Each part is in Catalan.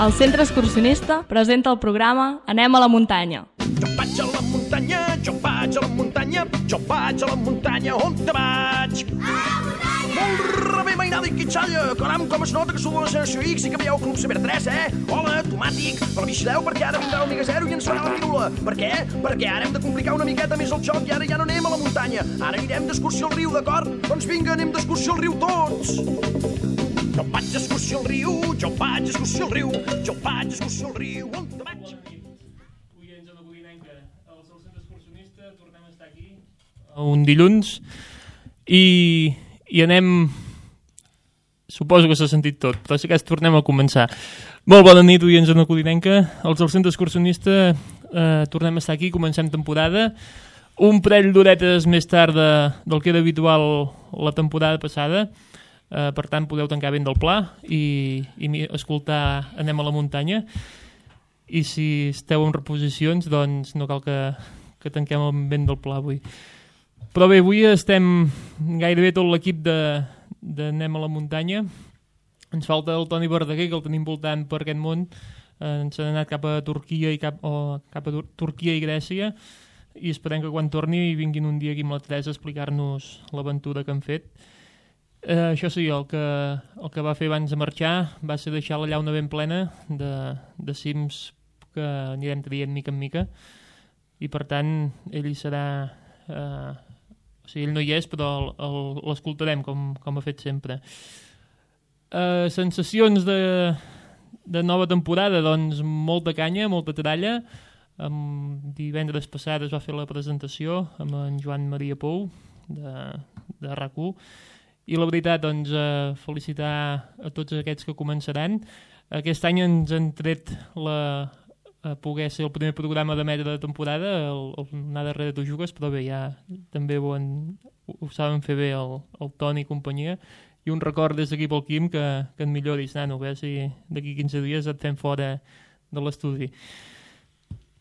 El Centre Excursionista presenta el programa Anem a la muntanya. Jo vaig a la muntanya, jo vaig a la muntanya, jo vaig a la muntanya, on te vaig? A la muntanya! Molt rebé, mainada i quitxalla, caram, com es nota que sou de la generació X i que veieu Club Ciber 3, Hola, tomàtic, però vigileu perquè ara vindrà el Mega Zero i ens farà la pirula. Per què? Perquè ara hem de complicar una miqueta més el joc i ara ja no anem a la muntanya, ara anirem d'excursió al riu, d'acord? Doncs vinga, anem d'excursió al riu tots! Jo vaig d'excursió al riu, jo vaig d'excursió al riu, jo vaig d'excursió al riu, on te vaig? Oients de la Codinenca, el Centre Excursionista, tornem a estar aquí un dilluns i anem, suposo que s'ha sentit tot, però si cas tornem a començar. Molt bona nit, oients de la Codinenca, els del Centre Excursionista tornem a estar aquí, comencem temporada, un parell d'horetes més tard del que era habitual la temporada passada. Per tant, podeu tancar ben del pla i escoltar Anem a la muntanya. I si esteu en reposicions, doncs no cal que tanquem ben del pla avui. Però bé, avui estem gairebé tot l'equip d'Anem a la muntanya. Ens falta el Toni Verdaguer, que el tenim voltant per aquest món. Ens han anat cap a Turquia cap a Turquia i Grècia, i esperem que quan torni vinguin un dia aquí amb la Teresa a explicar-nos l'aventura que han fet. Això sí, el que va fer abans de marxar va ser deixar la llauna ben plena de cims que anirem traient mica en mica, i per tant ell hi serà, o sigui, ell no hi és, però l'escoltarem com ha fet sempre. Sensacions de nova temporada, doncs molta canya, molta tralla. Divendres passat es va fer la presentació amb en Joan Maria Pou de RAC1. I la veritat, doncs, felicitar a tots aquests que començaran. Aquest any ens han tret poder ser el primer programa d'emetre de temporada, el Anar darrere tu jugues, però bé, ja també ho saben fer bé el Toni i companyia. I un record des d'aquí pel Quim que et milloris, nano, a veure si d'aquí 15 dies et fem fora de l'estudi.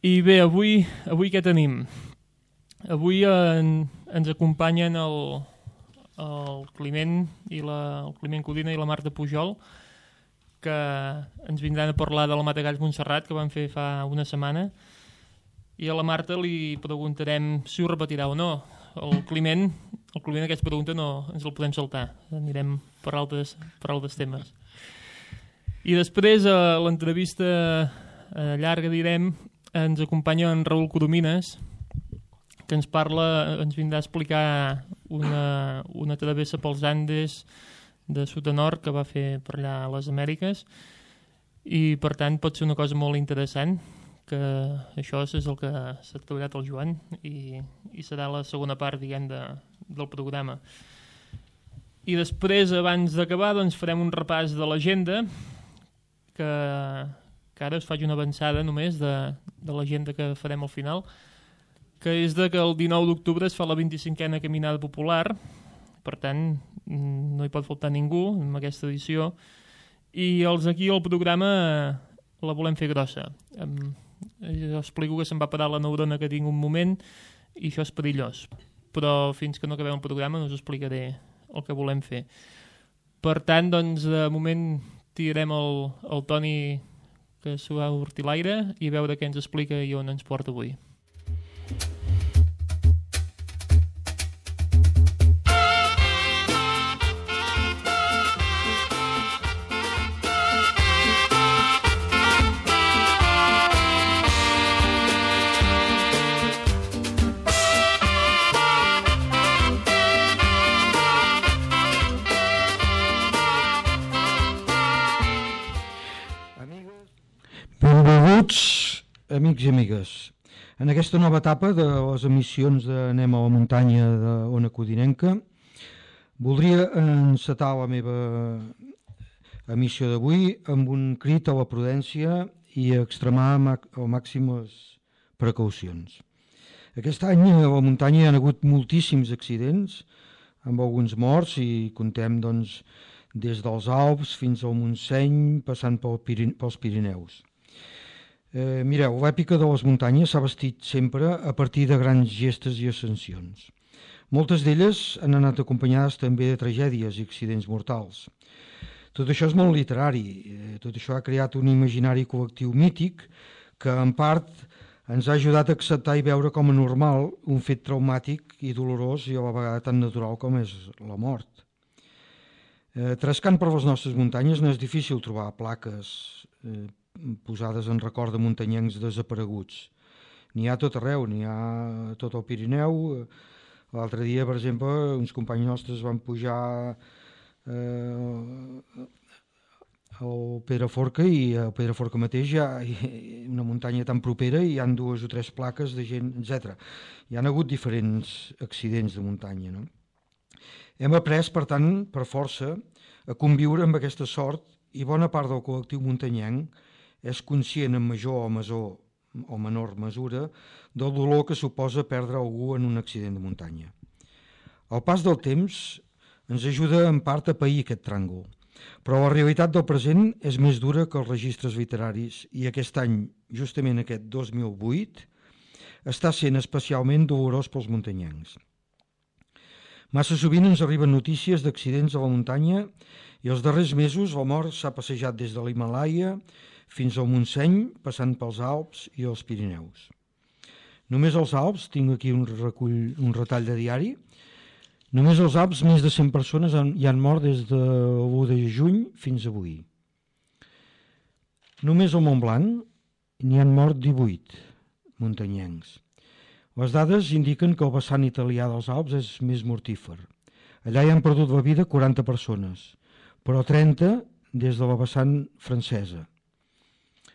I bé, avui què tenim? Avui ens acompanyen el Climent el Climent Codina i la Marta Pujol, que ens vindran a parlar de la Matagalls Montserrat, que van fer fa una setmana, i a la Marta li preguntarem si ho repetirà o no. El Climent aquesta pregunta no ens el podem saltar, anirem per altres temes. I després a l'entrevista llarga, direm, ens acompanya en Raül Coromines, que ens vindrà a explicar una travessa pels Andes de sud a nord que va fer per allà a les Amèriques, i per tant pot ser una cosa molt interessant, que això és el que s'ha treballat el Joan, i serà la segona part, diguem, del programa. I després, abans d'acabar, doncs farem un repàs de l'agenda, que ara us faig una avançada només de l'agenda que farem al final, que és que el 19 d'octubre es fa la 25a Caminada Popular, per tant no hi pot faltar ningú en aquesta edició, i aquí el programa la volem fer grossa. Jo explico que se'm va parar la neurona que tinc un moment i això és perillós, però fins que no acabem el programa no us explicaré el que volem fer. Per tant, doncs, de moment tirarem el Toni que s'ho va sortir l'aire i a veure què ens explica i on ens porta avui. Benvinguts, amics i amigues. En aquesta nova etapa de les emissions d'Anem a la muntanya d'Ona Codinenca, voldria encetar la meva emissió d'avui amb un crit a la prudència i a extremar al màxim les precaucions. Aquest any a la muntanya hi ha hagut moltíssims accidents, amb alguns morts, i contem doncs, des dels Alps fins al Montseny, passant pels Pirineus. Mireu, l'èpica de les muntanyes s'ha vestit sempre a partir de grans gestes i ascensions. Moltes d'elles han anat acompanyades també de tragèdies i accidents mortals. Tot això és molt literari, Tot això ha creat un imaginari col·lectiu mític que, en part, ens ha ajudat a acceptar i veure com a normal un fet traumàtic i dolorós i a la vegada tan natural com és la mort. Trascant per les nostres muntanyes no és difícil trobar plaques posades en record de muntanyencs desapareguts. N'hi ha tot arreu, n'hi ha a tot el Pirineu. L'altre dia, per exemple, uns companys nostres van pujar al Pedraforca i al Pedraforca mateix hi ha una muntanya tan propera i hi ha 2 o 3 plaques de gent, etc. Hi ha hagut diferents accidents de muntanya, no? Hem après, per tant, per força, a conviure amb aquesta sort i bona part del col·lectiu muntanyenc és conscient en major o menor mesura del dolor que suposa perdre algú en un accident de muntanya. El pas del temps ens ajuda en part a pair aquest tràngol, però la realitat del present és més dura que els registres literaris i aquest any, justament aquest 2008, està sent especialment dolorós pels muntanyencs. Massa sovint ens arriben notícies d'accidents a la muntanya i els darrers mesos la mort s'ha passejat des de l'Himàlaia fins al Montseny, passant pels Alps i els Pirineus. Només als Alps, tinc aquí un retall de diari, només als Alps més de 100 persones hi han mort des de l'1 de juny fins avui. Només al Montblanc n'hi han mort 18 muntanyencs. Les dades indiquen que el vessant italià dels Alps és més mortífer. Allà hi han perdut la vida 40 persones, però 30 des de la vessant francesa.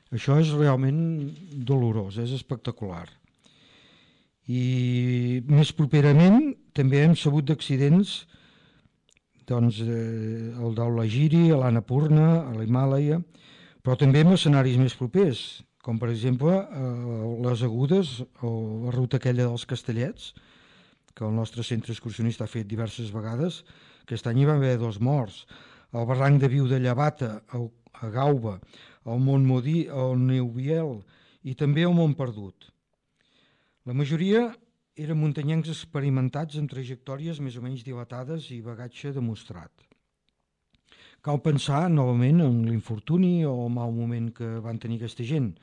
Això és realment dolorós, és espectacular. I més properament també hem sabut d'accidents, doncs, el d'Aulagiri, a l'Annapurna, a l'Himàlaia, però també en escenaris més propers, com per exemple les Agudes o la ruta aquella dels Castellets, que el nostre centre excursionista ha fet diverses vegades. Aquest any hi va haver 2 morts. El barranc de Viu de Llevata, a Gauba, el Montmodí, el Neuviel i també el Montperdut. La majoria eren muntanyencs experimentats amb trajectòries més o menys dilatades i bagatge demostrat. Cal pensar novament en l'infortuni o el mal moment que van tenir aquesta gent,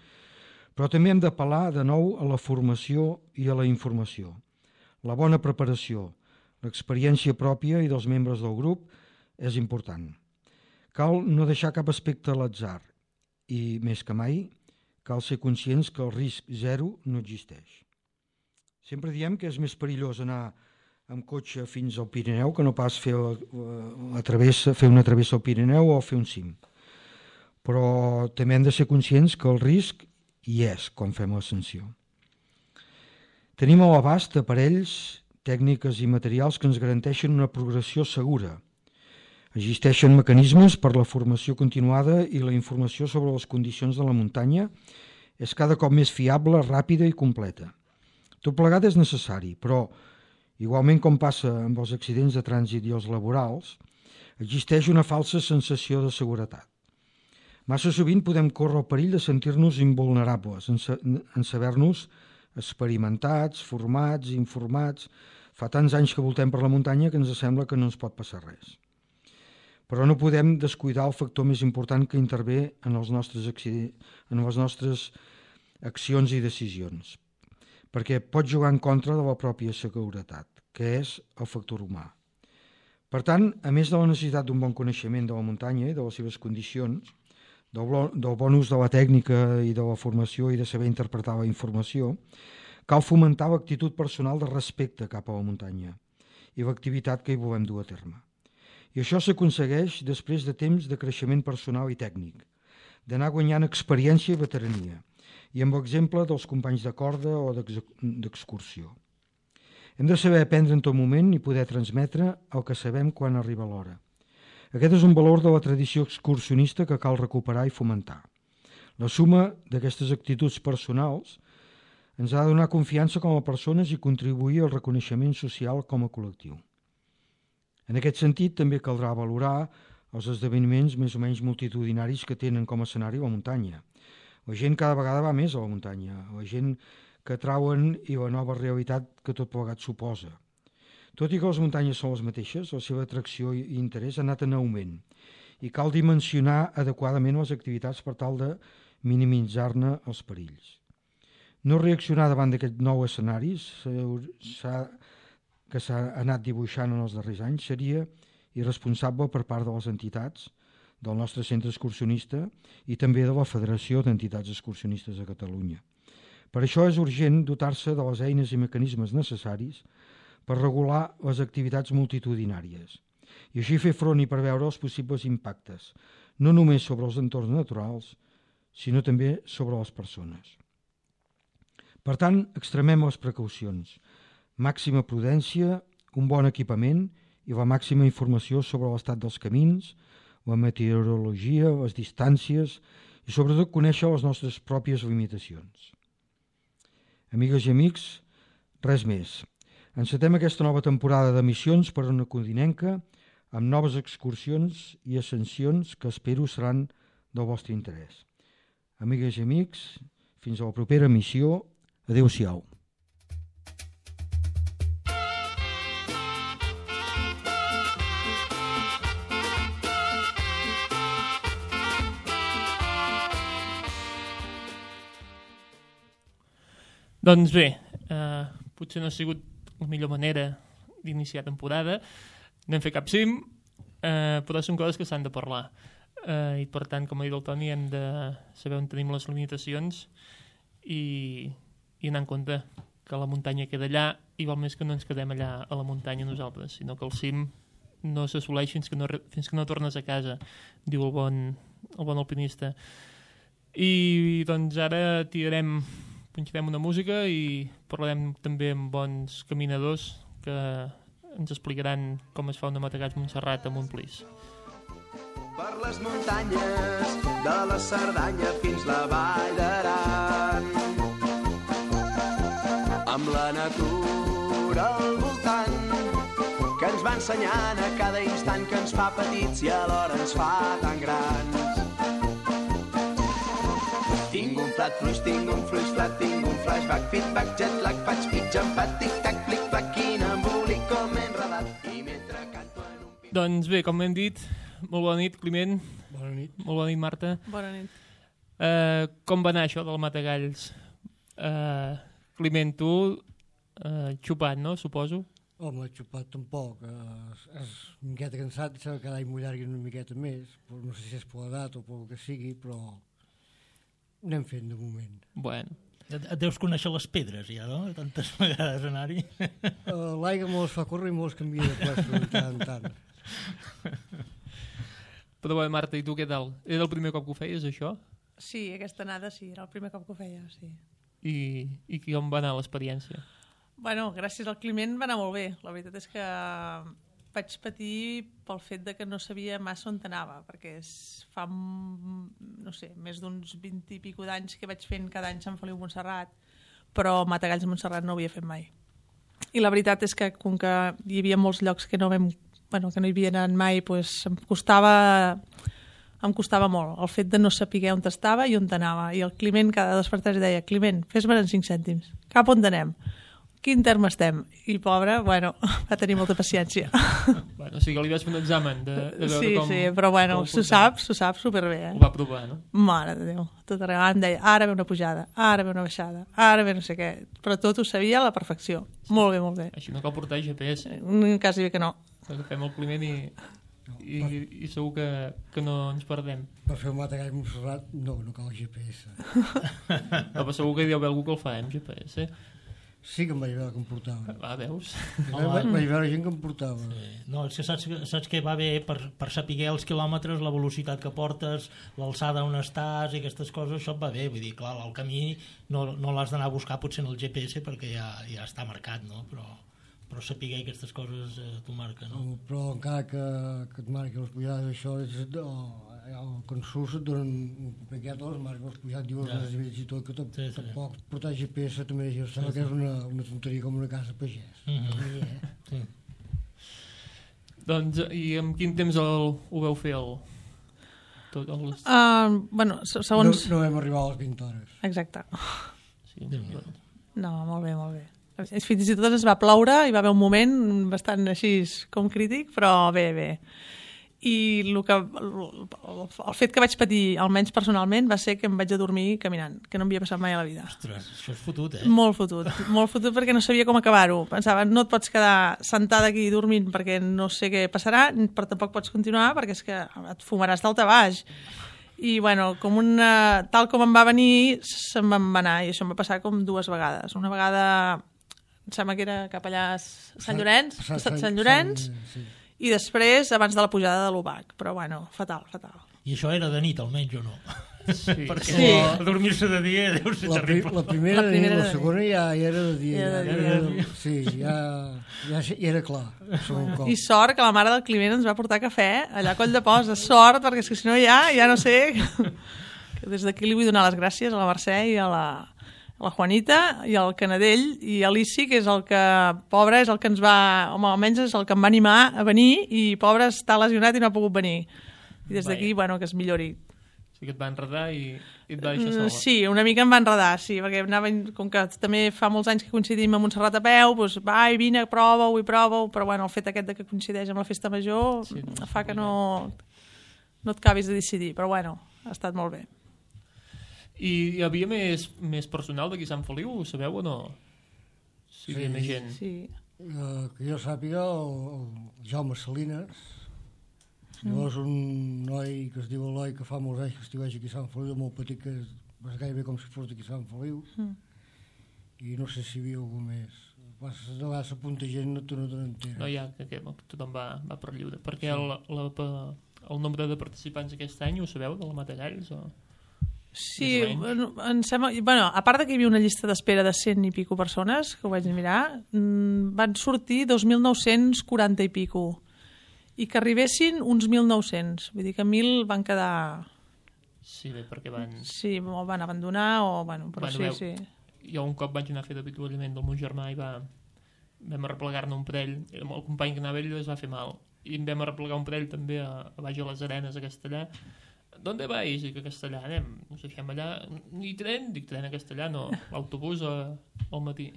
però també hem d'apel·lar de nou a la formació i a la informació. La bona preparació, l'experiència pròpia i dels membres del grup és important. Cal no deixar cap aspecte a l'atzar i, més que mai, cal ser conscients que el risc zero no existeix. Sempre diem que és més perillós anar amb cotxe fins al Pirineu que no pas fer una travessa al Pirineu o fer un cim. Però també hem de ser conscients que el risc hi és quan fem l'ascensió. Tenim a l'abast aparells, tècniques i materials que ens garanteixen una progressió segura. Existeixen mecanismes per la formació continuada i la informació sobre les condicions de la muntanya és cada cop més fiable, ràpida i completa. Tot plegat és necessari, però, igualment com passa amb els accidents de trànsit i els laborals, existeix una falsa sensació de seguretat. Massa sovint podem córrer el perill de sentir-nos invulnerables, en saber-nos experimentats, formats, informats. Fa tants anys que voltem per la muntanya que ens sembla que no ens pot passar res. Però no podem descuidar el factor més important que intervé en les nostres accions i decisions, perquè pot jugar en contra de la pròpia seguretat, que és el factor humà. Per tant, a més de la necessitat d'un bon coneixement de la muntanya i de les seves condicions, del bon ús de la tècnica i de la formació i de saber interpretar la informació, cal fomentar l'actitud personal de respecte cap a la muntanya i l'activitat que hi volem dur a terme. I això s'aconsegueix després de temps de creixement personal i tècnic, d'anar guanyant experiència i veterania, i amb l'exemple dels companys de corda o d'excursió. Hem de saber aprendre en tot moment i poder transmetre el que sabem quan arriba l'hora. Aquest és un valor de la tradició excursionista que cal recuperar i fomentar. La suma d'aquestes actituds personals ens ha de donar confiança com a persones i contribuir al reconeixement social com a col·lectiu. En aquest sentit, també caldrà valorar els esdeveniments més o menys multitudinaris que tenen com a escenari la muntanya. La gent cada vegada va més a la muntanya, la gent que trauen i la nova realitat que tot plegat suposa. Tot i que les muntanyes són les mateixes, la seva atracció i interès ha anat en augment i cal dimensionar adequadament les activitats per tal de minimitzar-ne els perills. No reaccionar davant d'aquest nou escenari que s'ha anat dibuixant en els darrers anys seria irresponsable per part de les entitats del nostre centre excursionista i també de la Federació d'Entitats Excursionistes de Catalunya. Per això és urgent dotar-se de les eines i mecanismes necessaris per regular les activitats multitudinàries i així fer front i preveure els possibles impactes, no només sobre els entorns naturals, sinó també sobre les persones. Per tant, extremem les precaucions, màxima prudència, un bon equipament i la màxima informació sobre l'estat dels camins, la meteorologia, les distàncies i sobretot conèixer les nostres pròpies limitacions. Amigues i amics, res més. Encetem aquesta nova temporada d'emissions per Ona Codinenca amb noves excursions i ascensions que espero seran del vostre interès. Amigues i amics, fins a la propera emissió. Adéu-siau. Doncs bé, potser no ha sigut la millor manera d'iniciar temporada, no hem fet cap cim, però són coses que s'han de parlar. I per tant, com ha dit el Toni, hem de saber on tenim les limitacions i anar en compte que la muntanya queda allà i val més que no ens quedem allà a la muntanya nosaltres, sinó que el cim no s'assoleix fins que no tornes a casa, diu el bon alpinista. I doncs ara punxarem una música i parlarem també amb bons caminadors que ens explicaran com es fa una Matagalls Montserrat a Montplís. Per les muntanyes de la Cerdanya fins la Vall d'Aran, amb la natura al voltant que ens va ensenyant a cada instant que ens fa petits i alhora ens fa tan grans. Tinc un plat fluix, tinc un fluix flat, tinc un flashback, feedback, jetlag, faig pitja, empat, tic-tac, plic-plac, quin embolic com enredat i mentre canto en un... Doncs bé, com hem dit, molt bona nit, Climent. Bona nit. Molt bona nit, Marta. Bona nit. Com va anar això del Matagalls? Climent, tu xupat, no? Suposo. Home, xupat tampoc. És una miqueta cansat, sembla que cada any m'ho llargui una miqueta més, però no sé si és per l'edat o per el que sigui, però anem fent de moment. Bueno. Et deus conèixer les pedres ja, no? Tantes vegades anar-hi. L'aigua me les fa córrer i me les canvia de plaça de tant en tant. Però bé, Marta, i tu què tal? Era el primer cop que ho feies, això? Sí, aquesta anada sí, era el primer cop que ho feia, sí. I com va anar l'experiència? Bueno, gràcies al Climent va anar molt bé. La veritat és que vaig patir pel fet de que no sabia massa on anava, perquè fa, no sé, més d'uns 20 i pico d'anys que vaig fent cada any Sant Feliu Montserrat, però Matagalls Montserrat no ho havia fet mai. I la veritat és que, com que hi havia molts llocs que no hi havia anat mai, doncs em costava molt el fet de no saber on estava i on anava. I el Climent cada despertar deia: Climent, fes-me en 5 cèntims. Cap on anem? Quin terme estem? I pobre, va tenir molta paciència. Bueno, o sigui que li vas fer un examen de veure com... Sí, però bueno, s'ho sap superbé. Ho va provar, no? Mare de Déu, tot arreu. Em deia, ara ve una pujada, ara ve una baixada, ara ve no sé què. Però tot ho sabia a la perfecció. Sí. Molt bé, molt bé. Així no cal portar GPS. Quasi bé que no. Fem el Climent i segur que no ens perdem. Per fer un Matagalls Montserrat no cal GPS. Però segur que hi deu haver algú que el fa amb GPS. Sí que em vaig veure que em portava. Va, veus? Vaig veure gent que em portava. Sí. No, és que saps que va bé per saber els quilòmetres, la velocitat que portes, l'alçada on estàs i aquestes coses, això et va bé. Vull dir, clar, el camí no l'has d'anar a buscar potser en el GPS perquè ja està marcat, no? Però saber aquestes coses t'ho marca, no? Però encara que et marqui les pujades, això és... Quan surts et donen un paquet a les marques, els pujats diuen els desnivells i tot, que tampoc portar GPS també jo sembla que és una tonteria com una casa pagès. Sí. Doncs, i amb quin temps ho veu fer segons... No vam arribar a les 20 hores. Exacte. Sí, no, molt bé, molt bé. Fins i tot ens va ploure, hi va haver un moment bastant així com crític, però bé. i el fet que vaig patir, almenys personalment, va ser que em vaig adormir caminant, que no em havia passat mai a la vida. Ostres, això és fotut, Molt fotut perquè no sabia com acabar-ho. Pensava, no et pots quedar sentada aquí dormint perquè no sé què passarà, però tampoc pots continuar perquè és que et fumaràs dalt a baix. I, bueno, tal com em va venir, se'm va anar, i això em va passar com 2 vegades. Una vegada, em sembla que era cap allà a Sant Llorenç, sí. I després abans de la pujada de l'Ubac, però bueno, fatal. I això era de nit almenys o no? Sí. Perquè dormir-se de dia deu ser terrible. La primera de nit, la segona ja era de dia. Sí, ja era clar. I sort que la mare del Climent ens va portar cafè allà a Coll de Posa, sort, perquè és que si no ja no sé. Des d'aquí li vull donar les gràcies a la Mercè i a la Juanita i al Canadell i a l'Issi, que és el que, pobre, és el que ens va, home, almenys és el que em va animar a venir, i pobre està lesionat i no ha pogut venir. I des d'aquí, bueno, que es millori. Sí que et va enredar i et va deixar sola. Sí, una mica em va enredar, sí, perquè com que també fa molts anys que coincidim amb Montserrat a peu, doncs vine, prova-ho, però bueno, el fet aquest de que coincideix amb la festa major fa que no et acabis de decidir, però bueno, ha estat molt bé. I hi havia més personal d'aquí Sant Feliu, ho sabeu o no? Sí, hi havia més gent. Sí. Que jo sàpiga, el Jaume Salines, llavors un noi que es diu Eloi, que fa molts anys que estiueix aquí a Sant Feliu, molt petit, que és gairebé com si fos d'aquí a Sant Feliu, i no sé si hi havia algú més. De vegades s'apunta gent, tu no te n'enteres. No, ja, que tothom va per lliure. Perquè el nombre de participants aquest any, ho sabeu, de la Matagalls? Sí, em sembla... Bueno, a part que hi havia una llista d'espera de 100 i pico persones, que ho vaig mirar, van sortir 2.940 i pico, i que arribessin uns 1.900. Vull dir que 1.000 van quedar... Sí, bé, perquè van... Sí, o van abandonar, o... Bueno, però bueno, sí. Jo un cop vaig anar a fer d'avituallament del meu germà i vam arreplegar-ne un parell. El company que anava ell es va fer mal. I em vam arreplegar un parell també a baix a les Arenes, a Castellà. ¿Dónde vais? Dic, a Castellà, anem. Us deixem allà. Ni tren? Dic, tren a Castellà, no. L'autobús al matí.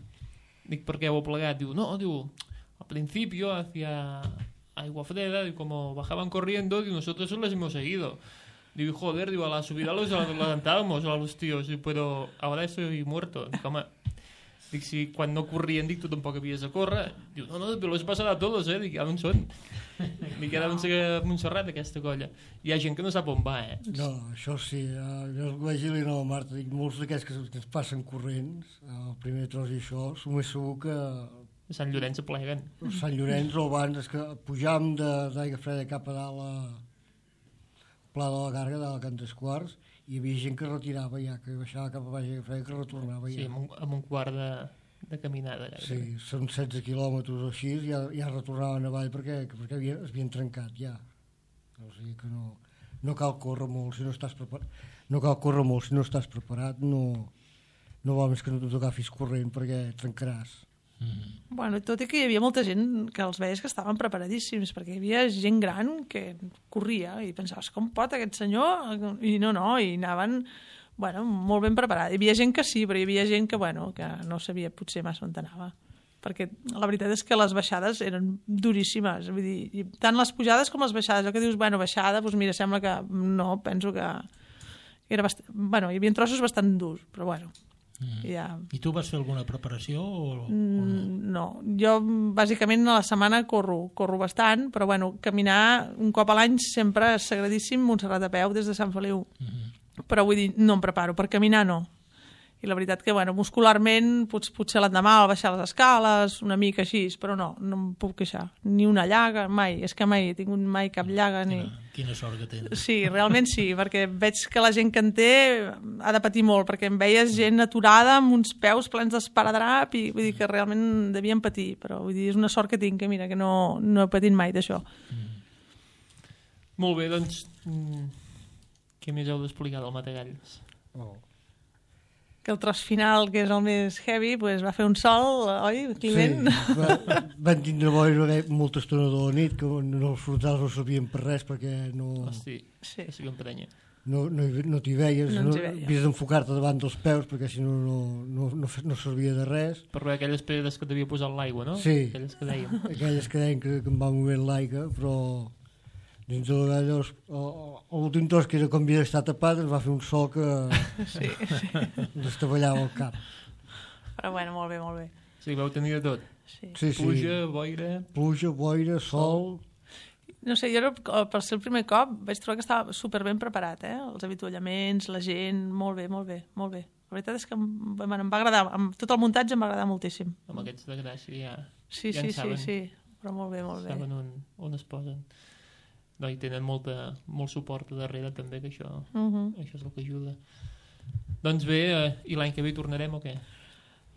Dic, per què heu plegat? Diu, no, al principio hacia Aigua Freda, como bajaban corriendo, digo, nosotros les hemos seguido. Digo, joder, a la subida los adelantábamos a los tíos, pero ahora estoy muerto. Dic, home, si quan no corrien, tu tampoc havies de córrer. Diu, no, però los he passat a tots, Dic, on són? Dic, ara on sé a Montserrat, aquesta colla. Hi ha gent que no sap on va, No, això sí, jo vaig dir-li a la Marta, dic, molts d'aquests que es passen corrents, el primer tros i això, som més segur que... A Sant Llorenç apleguen. Sant Llorenç o abans, és que pujàvem d'Aigua Freda cap a dalt a Pla de la Garga, de Can Desquarts, i hi havia gent que retirava ja, que baixava cap a baix Aigua Freda, que retornava ja. Sí, amb un quart de caminada. Sí, són 16 quilòmetres o així, ja retornaven avall perquè es havien trencat ja. O sigui que no cal córrer molt si no estàs preparat. No cal córrer molt si no estàs preparat, no val més que no t'agafis corrent perquè trencaràs. Bueno, tot i que hi havia molta gent que els veies que estaven preparadíssims, perquè hi havia gent gran que corria i pensaves, com pot aquest senyor? I no, i anaven molt ben preparats. Hi havia gent que sí, però hi havia gent que no sabia potser massa on anava, perquè la veritat és que les baixades eren duríssimes, vull dir, tant les pujades com les baixades. El que dius, baixada, doncs mira, sembla que no, penso que era bastant... hi havia trossos bastant durs, però ja. I tu vas fer alguna preparació? No, jo bàsicament a la setmana corro bastant, però caminar un cop a l'any sempre és sagradíssim, Montserrat a peu des de Sant Feliu. Però vull dir, no em preparo, per caminar no. I la veritat que, muscularment, potser l'endemà al baixar les escales, una mica així, però no em puc queixar. Ni una llaga, mai. És que mai he tingut cap llaga. Quina sort que tens. Sí, realment sí, perquè veig que la gent que en té ha de patir molt, perquè em veies gent aturada amb uns peus plens d'esparadrap i vull dir que realment devien patir, però vull dir, és una sort que tinc, que mira, que no he patit mai d'això. Molt bé, doncs, què més heu d'explicar del Matagalls? Que el tros final, que és el més heavy, va fer un sol, oi, Climent? Sí, van tindre molta estona de la nit, que els frontals no servien per res, perquè no... Hosti, sí. Un prenya. No t'hi veies, havies d'enfocar-te davant dels peus, perquè si no servia de res. Per veure aquelles pedres que t'havia posat l'aigua, no? Sí, aquelles que dèiem. Aquelles que deien que em va movent l'aigua, però dins de l'orella, l'últim tros que era com havia estat tapat, ens va fer un sol que Sí. destavallava el cap. Però bueno, molt bé, molt bé. Sí, vau tenir de tot. Sí. Sí, sí. Pluja, boira, sol... No sé, jo per ser el primer cop vaig trobar que estava superben preparat, Els avituallaments, la gent, molt bé, molt bé, molt bé. La veritat és que em va agradar, amb tot el muntatge em va agradar moltíssim. Amb aquests de gràcia ja... Sí, ja sí, però molt bé, molt bé. Saben on es posen. No, i tenen molt suport darrere també, que això és el que ajuda. Doncs bé, i l'any que ve hi tornarem o què?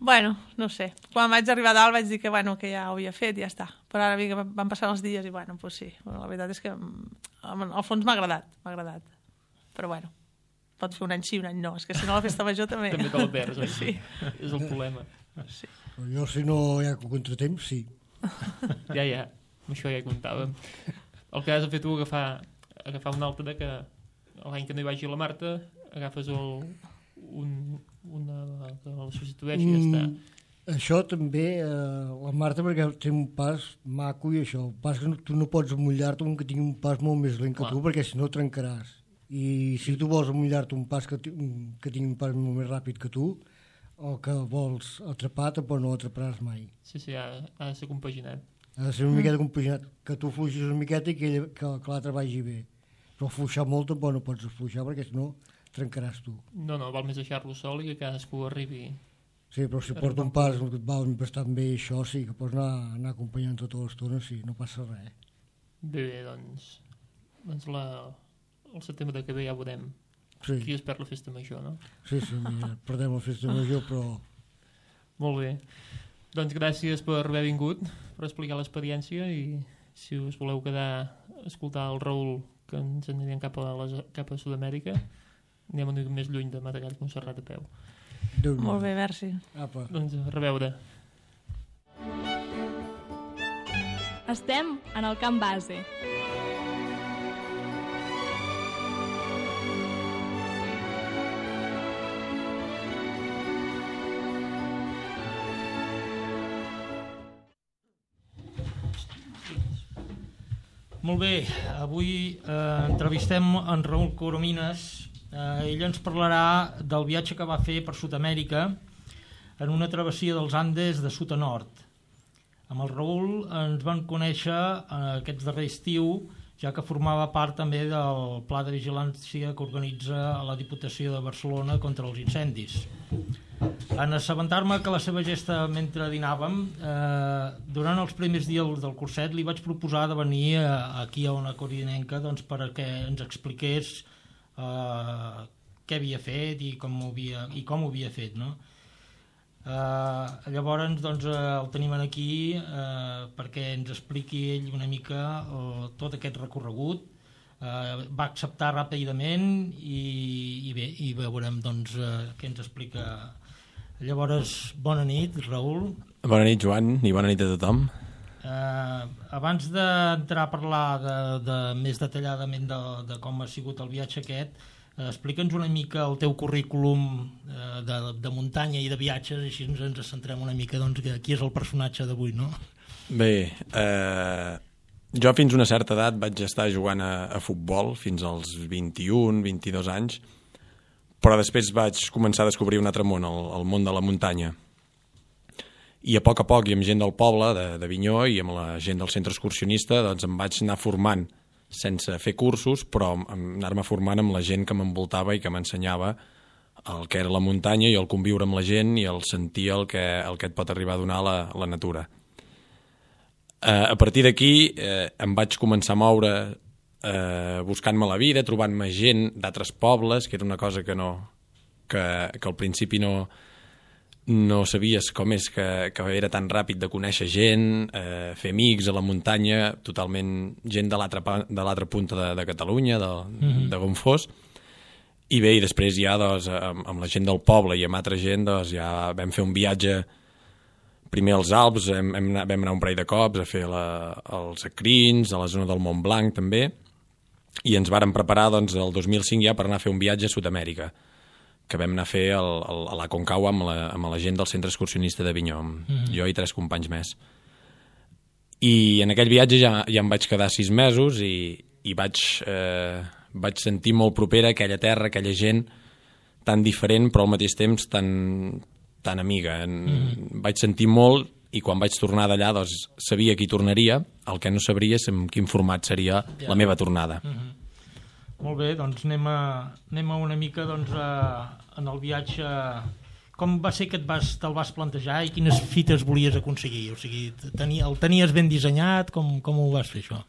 Bueno, no sé. Quan vaig arribar a dalt vaig dir que ja ho havia fet i ja està. Però ara que van passar els dies i doncs sí. La veritat és que al fons m'ha agradat. Però bueno, pot fer un any sí, un any no. És que si no la festa major també... També te la perds, oi? Sí. És el problema. Sí. Però jo si no hi ha contratemps, sí. Ja, amb això ja hi comptàvem. El que has de fer tu agafar un altre que l'any que no hi vagi la Marta agafes una que la substitueixi i ja està. Això també, la Marta, perquè té un pas maco i això. El pas que tu no pots mullar-te un que tingui un pas molt més lent que tu, perquè si no trencaràs. I si tu vols mullar-te un pas que tingui un pas molt més ràpid que tu, el que vols atrapar tampoc no l'atraparàs mai. Sí, ha de ser compaginat. Ha de ser una miqueta compaginat, que tu fluixis una miqueta i que l'altre vagi bé. Però fluixar molt tampoc no pots fluixar, perquè si no trencaràs tu. No, val més deixar-lo sol i que cadascú arribi... Sí, però si porta un pas que et va bastant bé, això sí, que pots anar acompanyant tota l'estona, sí, no passa res. Bé, doncs el setembre que ve ja veurem qui es perd la festa major, no? Sí, mira, perdem la festa major, però... Molt bé. Doncs gràcies per haver vingut, per explicar l'experiència, i si us voleu quedar a escoltar el Raül, que ens anirem cap a Sud-amèrica, anem una mica més lluny de Matagall que Montserrat a peu. Molt bé, merci. Apa. Doncs a reveure. Estem en el camp base. Molt bé, avui entrevistem en Raül Coromines. Ell ens parlarà del viatge que va fer per Sud-amèrica en una travessia dels Andes de sud a nord. Amb el Raül ens van conèixer aquest darrer estiu, ja que formava part també del pla de vigilància que organitza la Diputació de Barcelona contra els incendis. En assabentar-me que la seva gesta mentre dinàvem, durant els primers dies del curset li vaig proposar de venir aquí a Ona Codinenca perquè ens expliqués què havia fet i com ho havia fet, no? Llavors el tenim aquí perquè ens expliqui ell una mica tot aquest recorregut. Va acceptar ràpidament i bé, i veurem què ens explica. Llavors, bona nit, Raül. Bona nit, Joan, i bona nit a tothom. Abans d'entrar a parlar més detalladament de com ha sigut el viatge aquest, explica'ns una mica el teu currículum de muntanya i de viatges, així ens centrem una mica qui és el personatge d'avui, no? Bé, jo fins a una certa edat vaig estar jugant a futbol, fins als 21-22 anys, però després vaig començar a descobrir un altre món, el món de la muntanya. I a poc, i amb gent del poble, d'Avinyó, i amb la gent del centre excursionista, doncs em vaig anar formant sense fer cursos, però anar-me formant amb la gent que m'envoltava i que m'ensenyava el que era la muntanya i el conviure amb la gent i el sentir el que et pot arribar a donar la natura. A partir d'aquí em vaig començar a moure buscant-me la vida, trobant-me gent d'altres pobles, que era una cosa que al principi no sabies com és que era tan ràpid de conèixer gent, fer amics a la muntanya, totalment gent de l'altra punta de Catalunya, de on fos. I bé, i després ja amb la gent del poble i amb altra gent ja vam fer un viatge primer als Alps, vam anar un parell de cops a fer els Acrins, a la zona del Mont Blanc també, i ens vàrem preparar el 2005 ja per anar a fer un viatge a Sud-amèrica, que vam anar a fer a la Concagua amb la gent del centre excursionista d'Avinyó, jo i 3 companys més. I en aquell viatge ja em vaig quedar 6 mesos i i vaig sentir molt propera aquella terra, aquella gent tan diferent però al mateix temps tan amiga. Vaig sentir molt i quan vaig tornar d'allà doncs, sabia que hi tornaria, el que no sabria és en quin format seria la meva tornada. Molt bé, doncs anem a una mica doncs, en el viatge. Com va ser que te'l vas plantejar i quines fites volies aconseguir? O sigui, el tenies ben dissenyat? Com ho vas fer, això?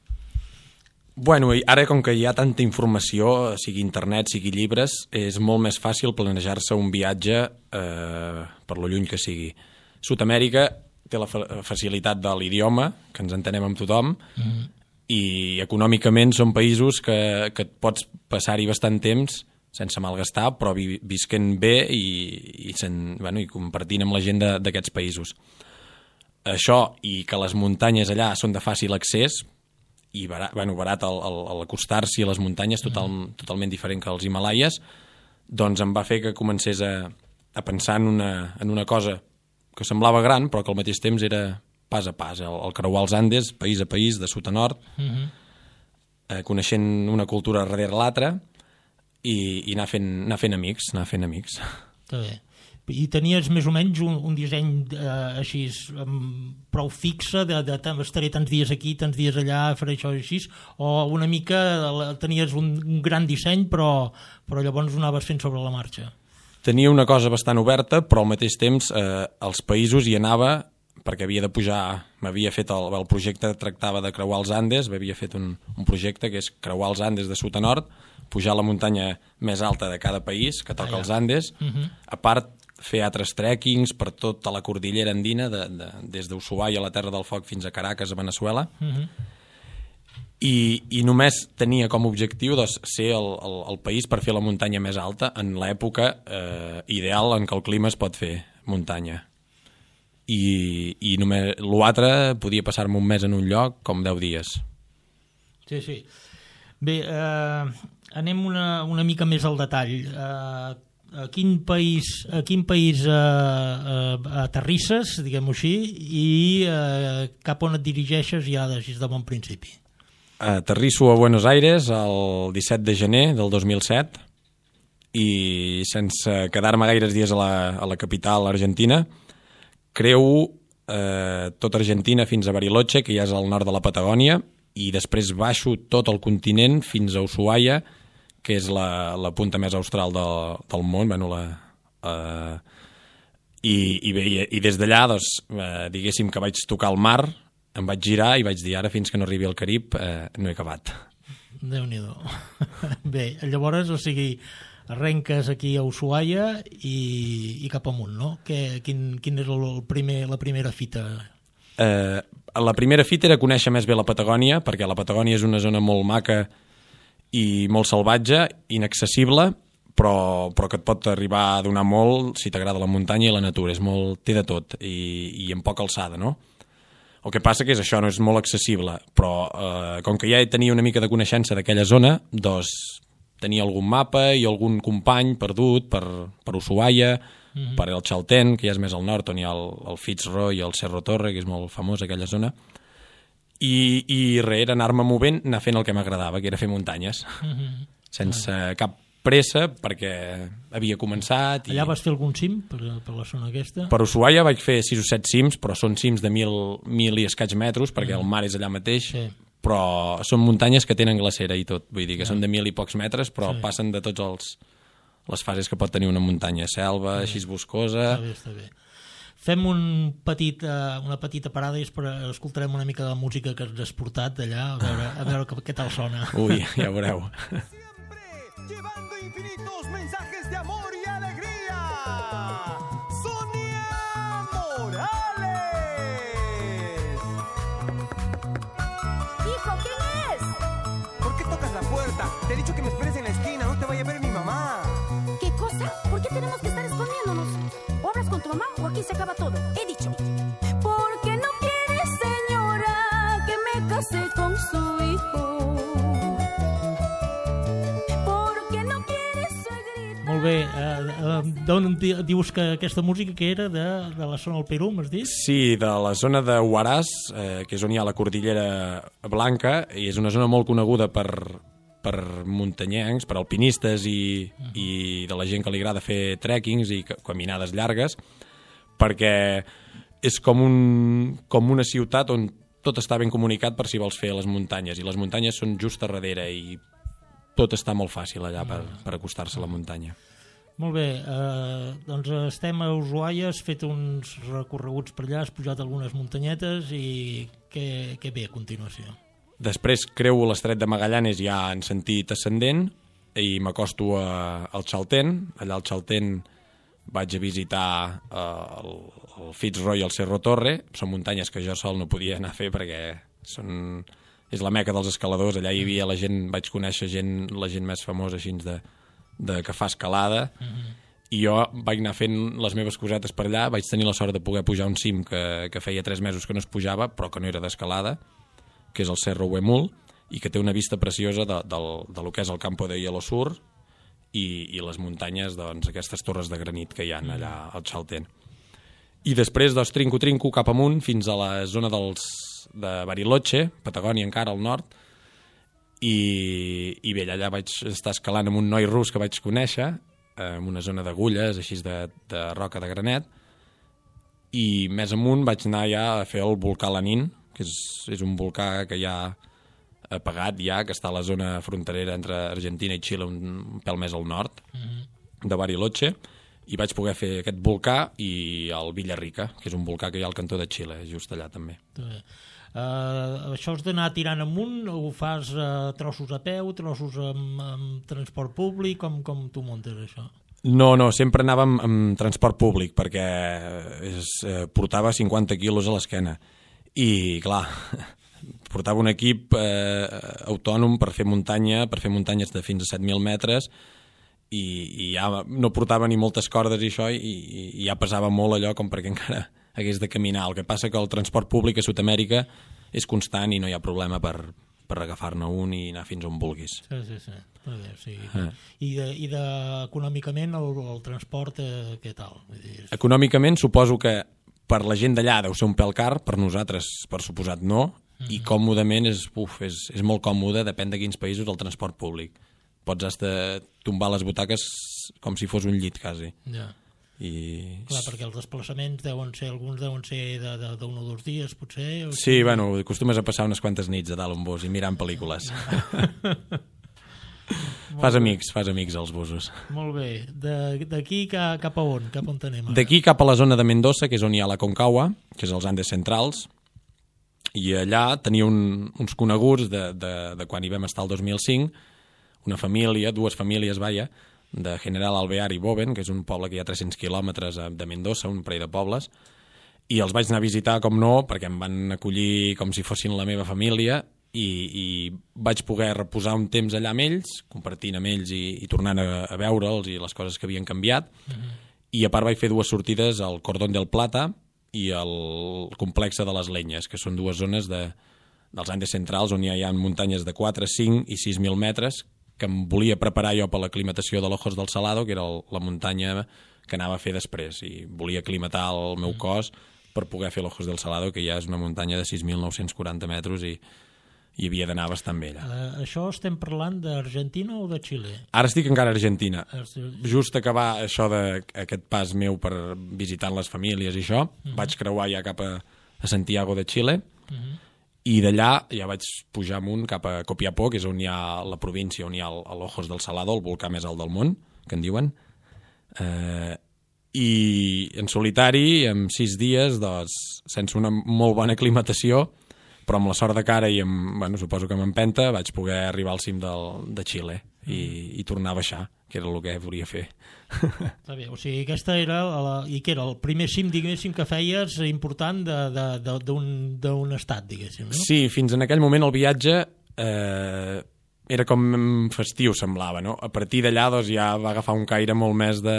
Bueno, ara com que hi ha tanta informació, sigui internet, sigui llibres, és molt més fàcil planejar-se un viatge per lo lluny que sigui. Sud-amèrica té la facilitat de l'idioma, que ens entenem amb tothom, i econòmicament són països que et pots passar-hi bastant temps sense malgastar, però visquent bé i compartint amb la gent d'aquests països. Això, i que les muntanyes allà són de fàcil accés, i barat al acostar-s'hi a les muntanyes, totalment diferent que als Himalaies, doncs em va fer que comencés a pensar en una cosa que semblava gran, però que al mateix temps era pas a pas, el creuar els Andes, país a país, de sud a nord, coneixent una cultura darrere l'altra, i anar fent amics. Està bé. I tenies més o menys un disseny així prou fixe estaré tants dies aquí, tants dies allà, faré això i així, o una mica tenies un gran disseny però llavors ho anaves fent sobre la marxa? Tenia una cosa bastant oberta, però al mateix temps als països hi anava perquè havia de pujar, m'havia fet el projecte, tractava de creuar els Andes, havia fet un projecte que és creuar els Andes de sud a nord, pujar la muntanya més alta de cada país, que toca els Andes, a part fer altres trekkings per tota la cordillera andina, des d'Ushuaia a la Terra del Foc fins a Caracas, a Veneçuela, i només tenia com a objectiu ser el país per fer la muntanya més alta en l'època ideal en què el clima es pot fer muntanya. I només l'altre podia passar-me un mes en un lloc com 10 dies. Sí. Bé, anem una mica més al detall. A quin país aterrisses, diguem-ho així, i cap on et dirigeixes ja de bon principi? Aterrisso a Buenos Aires el 17 de gener del 2007 i sense quedar-me gaires dies a la capital argentina creu tota Argentina fins a Bariloche, que ja és al nord de la Patagònia, i després baixo tot el continent fins a Ushuaia, que és la punta més austral del món, i des d'allà, diguéssim que vaig tocar el mar, em vaig girar i vaig dir ara fins que no arribi al Carib no he acabat. Déu-n'hi-do. Bé, llavors, o sigui, arrenques aquí a Ushuaia i cap amunt, no? Quin és la primera fita? La primera fita era conèixer més bé la Patagònia, perquè la Patagònia és una zona molt maca i molt salvatge, inaccessible, però que et pot arribar a donar molt si t'agrada la muntanya i la natura. Té de tot i amb poca alçada, no? El que passa que és això, no és molt accessible, però com que ja tenia una mica de coneixença d'aquella zona, doncs tenia algun mapa i algun company perdut per Ushuaia, per el Chaltén, que ja és més al nord, on hi ha el Fitzroy i el Cerro Torre, que és molt famós aquella zona, i era anar-me movent, anar fent el que m'agradava, que era fer muntanyes, sense cap pressa, perquè havia començat. Allà vas fer algun cim per la zona aquesta? Per Ushuaia vaig fer 6 o 7 cims, però són cims de 1.000 i escaig metres, perquè el mar és allà mateix, però són muntanyes que tenen glacera i tot, vull dir que són de 1.000 i pocs metres, però passen de tots les fases que pot tenir una muntanya, selva, així boscosa. Està bé. Fem una petita parada i escoltarem una mica de la música que ens has portat d'allà, a veure què tal sona. Ui, ja veureu. Llevando infinitos mensajes de amor y alegría. Sonia Morales. Hijo, ¿quién es? ¿Por qué tocas la puerta? Te he dicho que me esperes en la esquina, no te vaya a ver mi mamá. ¿Qué cosa? ¿Por qué tenemos que estar escondiéndonos? O hablas con tu mamá o aquí se acaba todo. He dicho. Porque no quiere, señora, que me case con su hijo. Molt bé. D'on dius que aquesta música que era? De la zona del Perú, m'has dit? Sí, de la zona de Huaraz, que és on hi ha la Cordillera Blanca, i és una zona molt coneguda per muntanyencs, per alpinistes i de la gent que li agrada fer trekkings i caminades llargues, perquè és com una ciutat on tot està ben comunicat per si vols fer les muntanyes, i les muntanyes són just a darrere i tot està molt fàcil allà per acostar-se a la muntanya. Molt bé, doncs estem a Ushuaia, has fet uns recorreguts per allà, has pujat algunes muntanyetes i què ve a continuació? Després creuo l'estret de Magallanes ja en sentit ascendent i m'acosto al Chaltén. Allà al Chaltén vaig a visitar el Fitzroy i el Cerro Torre. Són muntanyes que jo sol no podia anar a fer perquè és la meca dels escaladors. Allà hi havia la gent, vaig conèixer la gent més famosa així que fa escalada, i jo vaig anar fent les meves cosetes per allà. Vaig tenir la sort de poder pujar un cim que feia 3 mesos que no es pujava, però que no era d'escalada, que és el Cerro Huemul, i que té una vista preciosa de lo que és el Campo de Hielo Sur i les muntanyes, doncs, aquestes torres de granit que hi ha allà al Chaltén. I després trinco cap amunt fins a la zona de Bariloche, Patagònia encara al nord, i bé, allà vaig estar escalant amb un noi rus que vaig conèixer, en una zona d'agulles, així de roca de granet, i més amunt vaig anar ja a fer el volcà Lanín, que és un volcà que ja ha apagat ja, que està a la zona fronterera entre Argentina i Xile, un pèl més al nord de Bariloche, i vaig poder fer aquest volcà i el Villarrica, que és un volcà que hi ha al cantó de Xile, just allà també. Això has d'anar tirant amunt, ho fas trossos a peu, trossos amb transport públic, com tu muntes això? No, sempre anàvem amb transport públic perquè portava 50 quilos a l'esquena i clar, portava un equip autònom per fer muntanyes de fins a 7.000 metres i ja no portava ni moltes cordes i això, i ja pesava molt allò com perquè encara hagués de caminar. El que passa que el transport públic a Sud-amèrica és constant i no hi ha problema per agafar-ne un i anar fins on vulguis. Sí. Sí. I econòmicament el transport què tal? Econòmicament suposo que per la gent d'allà deu ser un pèl car, per nosaltres per suposat no, i còmodament és molt còmode, depèn de quins països, el transport públic. Pots hasta tombar les butaques com si fos un llit quasi. Ja. Clar, perquè els desplaçaments alguns deuen ser d'un o 2 dies, potser? Sí, bueno, acostumes a passar unes quantes nits a dalt un bus i mirant pel·lícules. Fas amics als busos. Molt bé. D'aquí cap a on? Cap on anem ara? D'aquí cap a la zona de Mendoza, que és on hi ha la Concagua, que és els Andes centrals, i allà tenia uns coneguts de quan hi vam estar el 2005, una família, 2 famílies, de General Alvear i Boven, que és un poble que hi ha 300 quilòmetres de Mendoza, un parell de pobles, i els vaig anar a visitar, com no, perquè em van acollir com si fossin la meva família, i vaig poder reposar un temps allà amb ells, compartint amb ells i tornant a veure'ls i les coses que havien canviat, i a part vaig fer 2 sortides al Cordón del Plata i al complexe de les Lenyes, que són 2 zones dels Andes centrals on hi ha muntanyes de 4, 5 i 6.000 metres, que em volia preparar jo per l'aclimatació de l'Ojos del Salado, que era la muntanya que anava a fer després, i volia aclimatar el meu cos per poder fer l'Ojos del Salado, que ja és una muntanya de 6.940 metres i havia d'anar bastant bé allà. Això estem parlant d'Argentina o de Xile? Ara estic encara a Argentina. Just acabar això d'aquest pas meu per visitant les famílies i això, vaig creuar ja cap a Santiago de Xile, i d'allà ja vaig pujar amunt cap a Copiapó, que és on hi ha la província, on hi ha l'Ojos del Salado, el volcà més alt del món, que en diuen, i en solitari, en 6 dies, doncs, sense una molt bona aclimatació, però amb la sort de cara i suposo que amb empenta, vaig poder arribar al cim de Xile i tornar a baixar, que era el que volia fer. Està bé, o sigui, aquesta era el primer cim, diguéssim, que feies important d'un estat, diguéssim, no? Sí, fins en aquell moment el viatge era com festiu, semblava, no? A partir d'allà doncs, ja va agafar un caire molt més de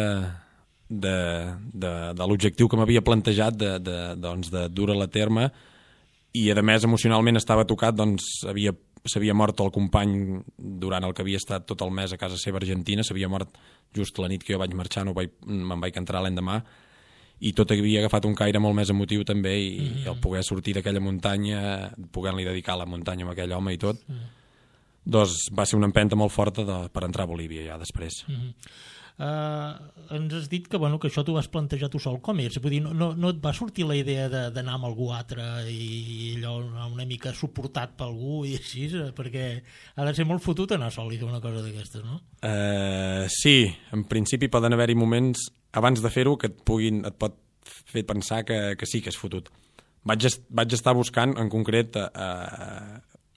l'objectiu que m'havia plantejat de dur-ho a terme, i a més emocionalment estava tocat, doncs havia s'havia mort el company durant el que havia estat tot el mes a casa seva a Argentina, s'havia mort just la nit que jo vaig marxar, me'n vaig entrar l'endemà, i tot havia agafat un caire molt més emotiu també, i el poder sortir d'aquella muntanya, poder-li dedicar la muntanya amb aquell home i tot, doncs va ser una empenta molt forta per entrar a Bolívia ja després. Ens has dit que, que això t'ho vas plantejar tu sol. Com és? Vull dir, no et va sortir la idea d'anar amb algú altre i allò una mica suportat per algú i així? Perquè ha de ser molt fotut anar sol i fer una cosa d'aquestes, no? Sí, en principi poden haver-hi moments abans de fer-ho que et pot fer pensar que sí que és fotut. Vaig estar buscant, en concret,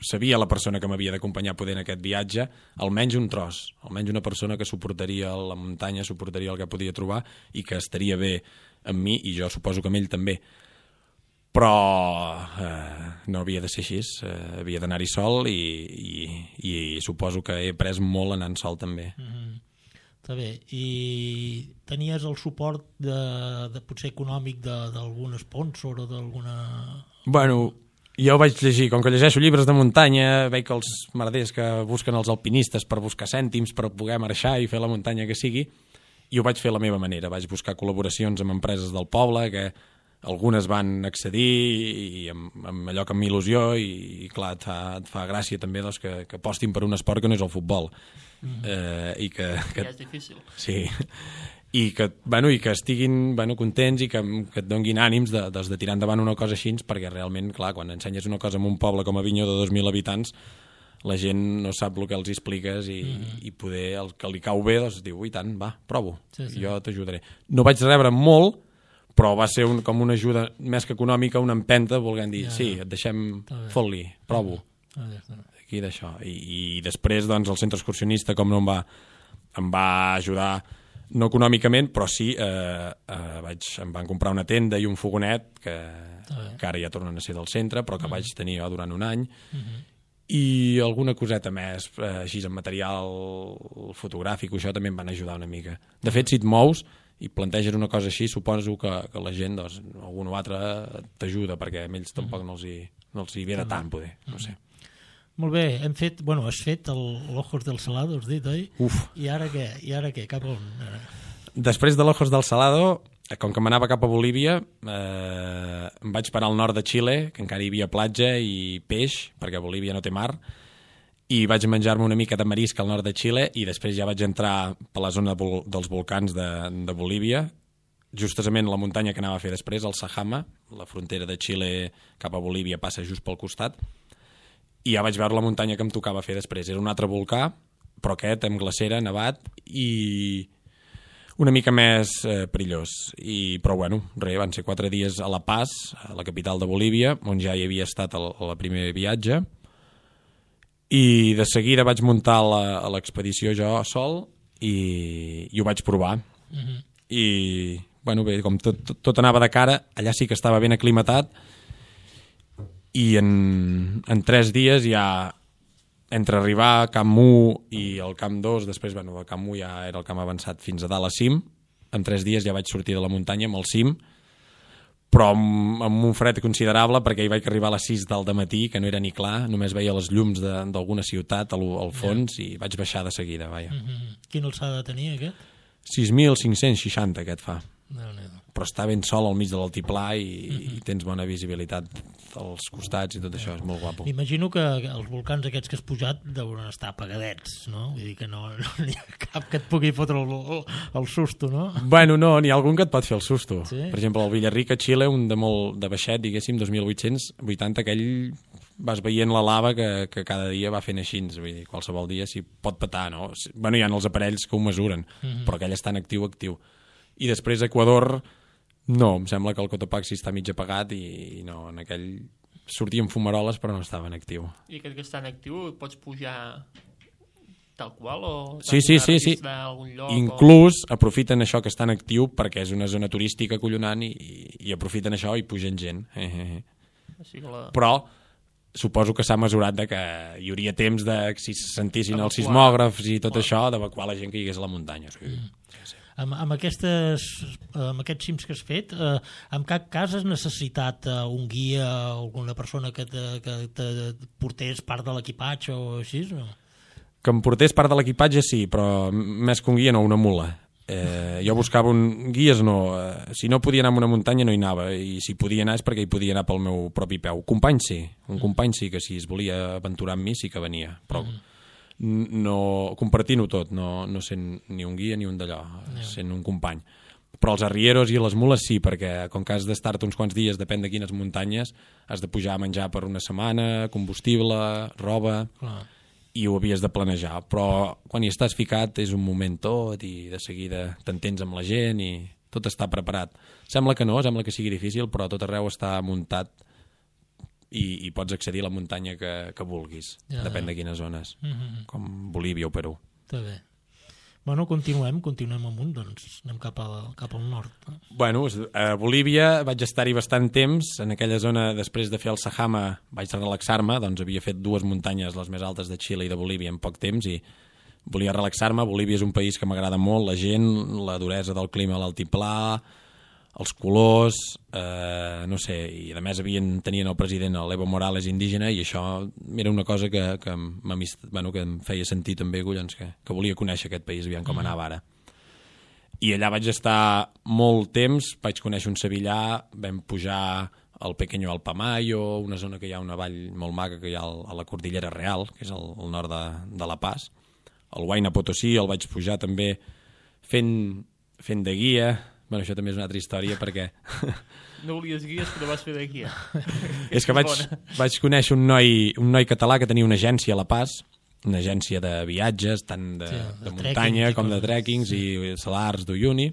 sabia la persona que m'havia d'acompanyar poder en aquest viatge, almenys un tros, almenys una persona que suportaria la muntanya, suportaria el que podia trobar i que estaria bé amb mi, i jo suposo que amb ell també. Però no havia de ser així, havia d'anar-hi sol i suposo que he après molt anant sol també. Està bé. I tenies el suport de potser econòmic d'algun sponsor o d'alguna... Bueno, jo vaig llegir, com que llegeixo llibres de muntanya, veig que els merders que busquen els alpinistes per buscar cèntims, per poder marxar i fer la muntanya que sigui, i ho vaig fer a la meva manera. Vaig buscar col·laboracions amb empreses del poble, que algunes van accedir i amb allò que amb il·lusió, i clar, et fa gràcia també doncs, que apostin per un esport que no és el futbol. I que és difícil. Sí, i que estiguin contents i que et donguin ànims de tirar endavant una cosa així, perquè realment, clar, quan ensenyes una cosa en un poble com Avinyó de 2.000 habitants, la gent no sap el que els expliques i poder, el que li cau bé, doncs diu, i tant, va, provo, jo t'ajudaré. No vaig rebre molt, però va ser com una ajuda més que econòmica, una empenta, volent dir, sí, et deixem fot-li, provo, aquí d'això. I després, doncs, el centre excursionista, com no em va ajudar, no econòmicament, però sí, em van comprar una tenda i un fogonet, que ara ja tornen a ser del centre, però que vaig tenir jo durant un any, i alguna coseta més, així en material fotogràfic, això també em van ajudar una mica. De fet, si et mous i planteges una cosa així, suposo que la gent, doncs, algun o altre t'ajuda, perquè a ells tampoc no els hi ve de tant, poder, no sé. Molt bé, has fet l'Ojos del Salado, has dit, oi? Uf. I ara què? Cap on? Després de l'Ojos del Salado, com que m'anava cap a Bolívia, em vaig parar al nord de Xile, que encara hi havia platja i peix, perquè a Bolívia no té mar, i vaig menjar-me una mica de marisc al nord de Xile, i després ja vaig entrar per la zona dels volcans de Bolívia, justament la muntanya que anava a fer després, el Sajama, la frontera de Xile cap a Bolívia passa just pel costat, i ja vaig veure la muntanya que em tocava fer després. Era un altre volcà, però aquest amb glacera, nevat, i una mica més perillós. Però bueno, van ser 4 dies a La Paz, a la capital de Bolívia, on ja hi havia estat el primer viatge, i de seguida vaig muntar a l'expedició jo sol i ho vaig provar. I bueno, bé, com tot anava de cara, allà sí que estava ben aclimatat, i en 3 dies ja, entre arribar a Camp 1 i el Camp 2, després, el Camp 1 ja era el camp avançat fins a dalt a cim, en 3 dies ja vaig sortir de la muntanya amb el cim, però amb un fred considerable, perquè hi vaig arribar a les 6 del matí, que no era ni clar, només veia les llums d'alguna ciutat al fons, i vaig baixar de seguida, vaja. Quina alçada tenia aquest? 6.560 aquest fa. Però està ben sol al mig de l'altiplà i tens bona visibilitat als costats i tot això, és molt guapo. M'imagino que els volcans aquests que has pujat deuen estar apagadets, no? Vull dir que no hi ha cap que et pugui fotre el susto, no? Bueno, no, n'hi ha algun que et pot fer el susto. Sí? Per exemple, el Villarrica, a Xile, un de baixet, diguéssim, 2.880, aquell vas veient la lava que cada dia va fent així, vull dir, qualsevol dia s'hi pot petar, no? Bueno, hi ha els aparells que ho mesuren, però aquell està en actiu. I després Equador, no, em sembla que el Cotopaxi està mig apagat i no, en aquell sortien fumaroles però no estava en actiu. I aquest que està en actiu pots pujar tal qual o sí. algun lloc? Inclús aprofiten això que està en actiu perquè és una zona turística acollonant i aprofiten això i pugen gent. Però suposo que s'ha mesurat de que hi hauria temps de, si se sentissin els sismògrafs i tot això, d'evacuar la gent que hi hagués a la muntanya. Sí. Amb aquests cims que has fet, en cap cas has necessitat un guia o alguna persona que te portés part de l'equipatge o així? No? Que em portés part de l'equipatge sí, però més que un guia no, una mula. Jo buscava guies, no. Si no podia anar a una muntanya no hi anava, i si podia anar és perquè hi podia anar pel meu propi peu. Company sí, un company sí que si es volia aventurar amb mi sí que venia, però no compartint-ho tot, no sent ni un guia ni un d'allò, sent un company. Però els arrieros i les mules sí, perquè com que has d'estar-te uns quants dies, depèn de quines muntanyes, has de pujar a menjar per una setmana, combustible, roba, i ho havies de planejar. Però quan hi estàs ficat és un moment tot i de seguida t'entens amb la gent i tot està preparat. Sembla que no, sembla que sigui difícil, però tot arreu està muntat i pots accedir a la muntanya que vulguis, depèn de quines zones, com Bolívia o Perú. Està bé. Bueno, continuem amunt, doncs anem cap al nord. Bueno, a Bolívia vaig estar-hi bastant temps, en aquella zona, després de fer el Sajama vaig relaxar-me, doncs havia fet 2 muntanyes, les més altes de Xile i de Bolívia en poc temps, i volia relaxar-me. Bolívia és un país que m'agrada molt, la gent, la duresa del clima a l'altiplà, els colors, no sé, i a més tenien el president, l'Evo Morales, indígena, i això era una cosa que em feia sentir també, collons, que volia conèixer aquest país, aviam com anava ara. I allà vaig estar molt temps, vaig conèixer un sevillà, vam pujar al Pequeño Alpamayo, una zona que hi ha una vall molt maca que hi ha a la Cordillera Real, que és al nord de La Paz. El Huayna Potosí el vaig pujar també fent de guia. Bueno, això també és una altra història perquè... No volies guies, però vas fer de guia. És que vaig conèixer un noi català que tenia una agència a La Paz, una agència de viatges, tant de muntanya com de trekkings i salars d'Uyuni,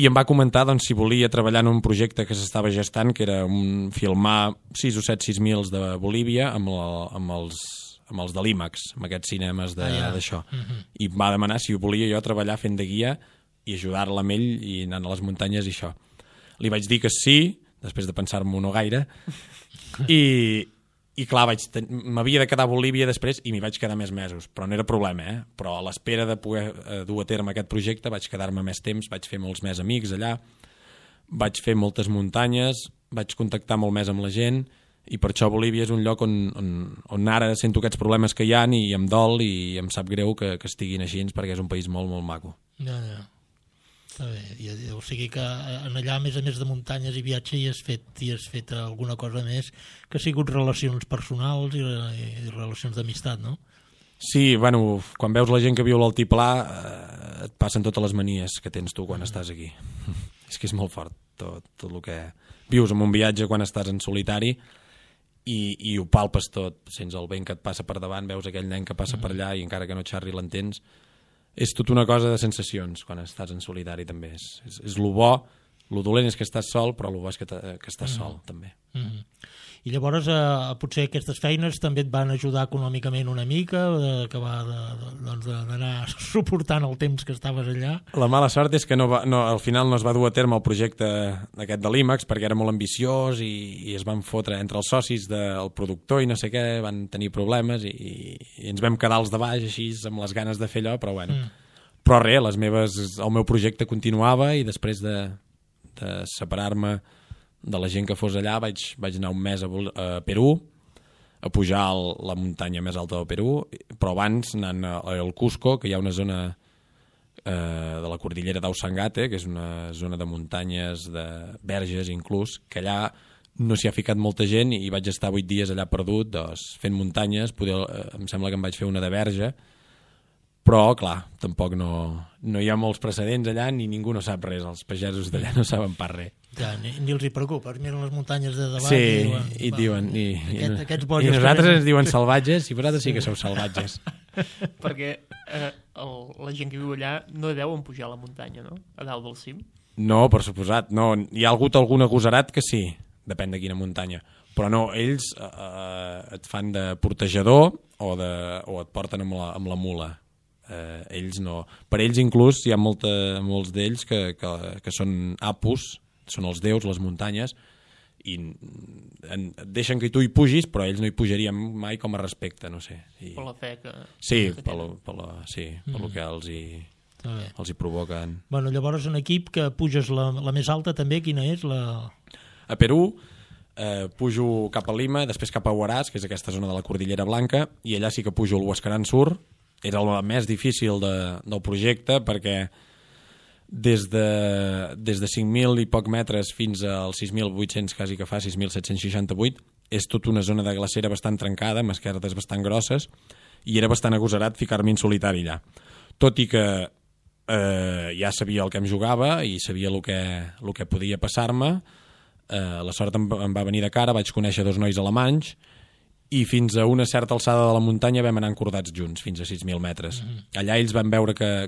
i em va comentar doncs, si volia treballar en un projecte que s'estava gestant, que era filmar 6 o 7 6.000 de Bolívia amb els de l'IMAX, amb aquests cinemes d'això. I em va demanar si volia jo treballar fent de guia i ajudar-la amb ell i anant a les muntanyes i això. Li vaig dir que sí, després de pensar-m'ho no gaire, i clar, m'havia de quedar a Bolívia després i m'hi vaig quedar més mesos, però no era problema, però a l'espera de poder dur a terme aquest projecte vaig quedar-me més temps, vaig fer molts més amics allà, vaig fer moltes muntanyes, vaig contactar molt més amb la gent, i per això Bolívia és un lloc on ara sento aquests problemes que hi ha i em dol i em sap greu que estiguin així, perquè és un país molt, molt maco. Ja. Està bé. O sigui que allà, a més de muntanyes i viatge, hi has fet alguna cosa més que ha sigut relacions personals i relacions d'amistat, no? Sí, bueno, quan veus la gent que viu a l'altiplà et passen totes les manies que tens tu quan estàs aquí. És que és molt fort tot el que vius en un viatge quan estàs en solitari i ho palpes tot, sents el vent que et passa per davant, veus aquell nen que passa per allà i encara que no xerri l'entens. És tota una cosa de sensacions quan estàs en solitari també. És lo bo, lo dolent és que estàs sol, però lo bo és que estàs sol també. I llavors potser aquestes feines també et van ajudar econòmicament una mica, d'anar suportant el temps que estaves allà? La mala sort és que al final no es va dur a terme el projecte aquest de l'IMAX perquè era molt ambiciós i es van fotre entre els socis del productor i no sé què, van tenir problemes i ens vam quedar els de baix així amb les ganes de fer allò, però bueno. Però res, el meu projecte continuava i després de separar-me de la gent que fos allà vaig anar un mes a Perú a pujar a la muntanya més alta del Perú, però abans anant al Cusco, que hi ha una zona de la cordillera d'Ausangate, que és una zona de muntanyes, de verges inclús, que allà no s'hi ha ficat molta gent i vaig estar 8 dies allà perdut fent muntanyes, em sembla que em vaig fer una de verge, però clar, tampoc no hi ha molts precedents allà ni ningú no sap res, els pagesos d'allà no saben pas res. Ja, ni els hi preocupa, miren les muntanyes de davant i diuen i nosaltres ens diuen salvatges i vosaltres sí que sou salvatges. Perquè la gent que viu allà no deuen pujar a la muntanya, no? A dalt del cim. No, per suposat, no. Hi ha hagut algun agosarat que sí, depèn de quina muntanya, però no, ells et fan de portejador o et porten amb la mula. Ells no. Per ells inclús hi ha molts d'ells que són apus, són els déus, les muntanyes, i et deixen que tu hi pugis, però ells no hi pujarien mai com a respecte, no sé. Per la fe que... Sí, per lo que els hi provoquen. Bueno, llavors en equip que puges la més alta també, quina és? A Perú pujo cap a Lima, després cap a Huaraz, que és aquesta zona de la Cordillera Blanca, i allà sí que pujo el Huascarán Sur. Era el més difícil del projecte perquè des de 5.000 i poc metres fins als 6.800, quasi que fa 6.768, és tota una zona de glacera bastant trencada, amb esquerdes bastant grosses, i era bastant agosarat ficar-me en solitari allà. Tot i que ja sabia el que em jugava i sabia el que podia passar-me, la sort em va venir de cara, vaig conèixer 2 nois alemanys, i fins a una certa alçada de la muntanya vam anar encordats junts, fins a 6.000 metres. Allà ells van veure que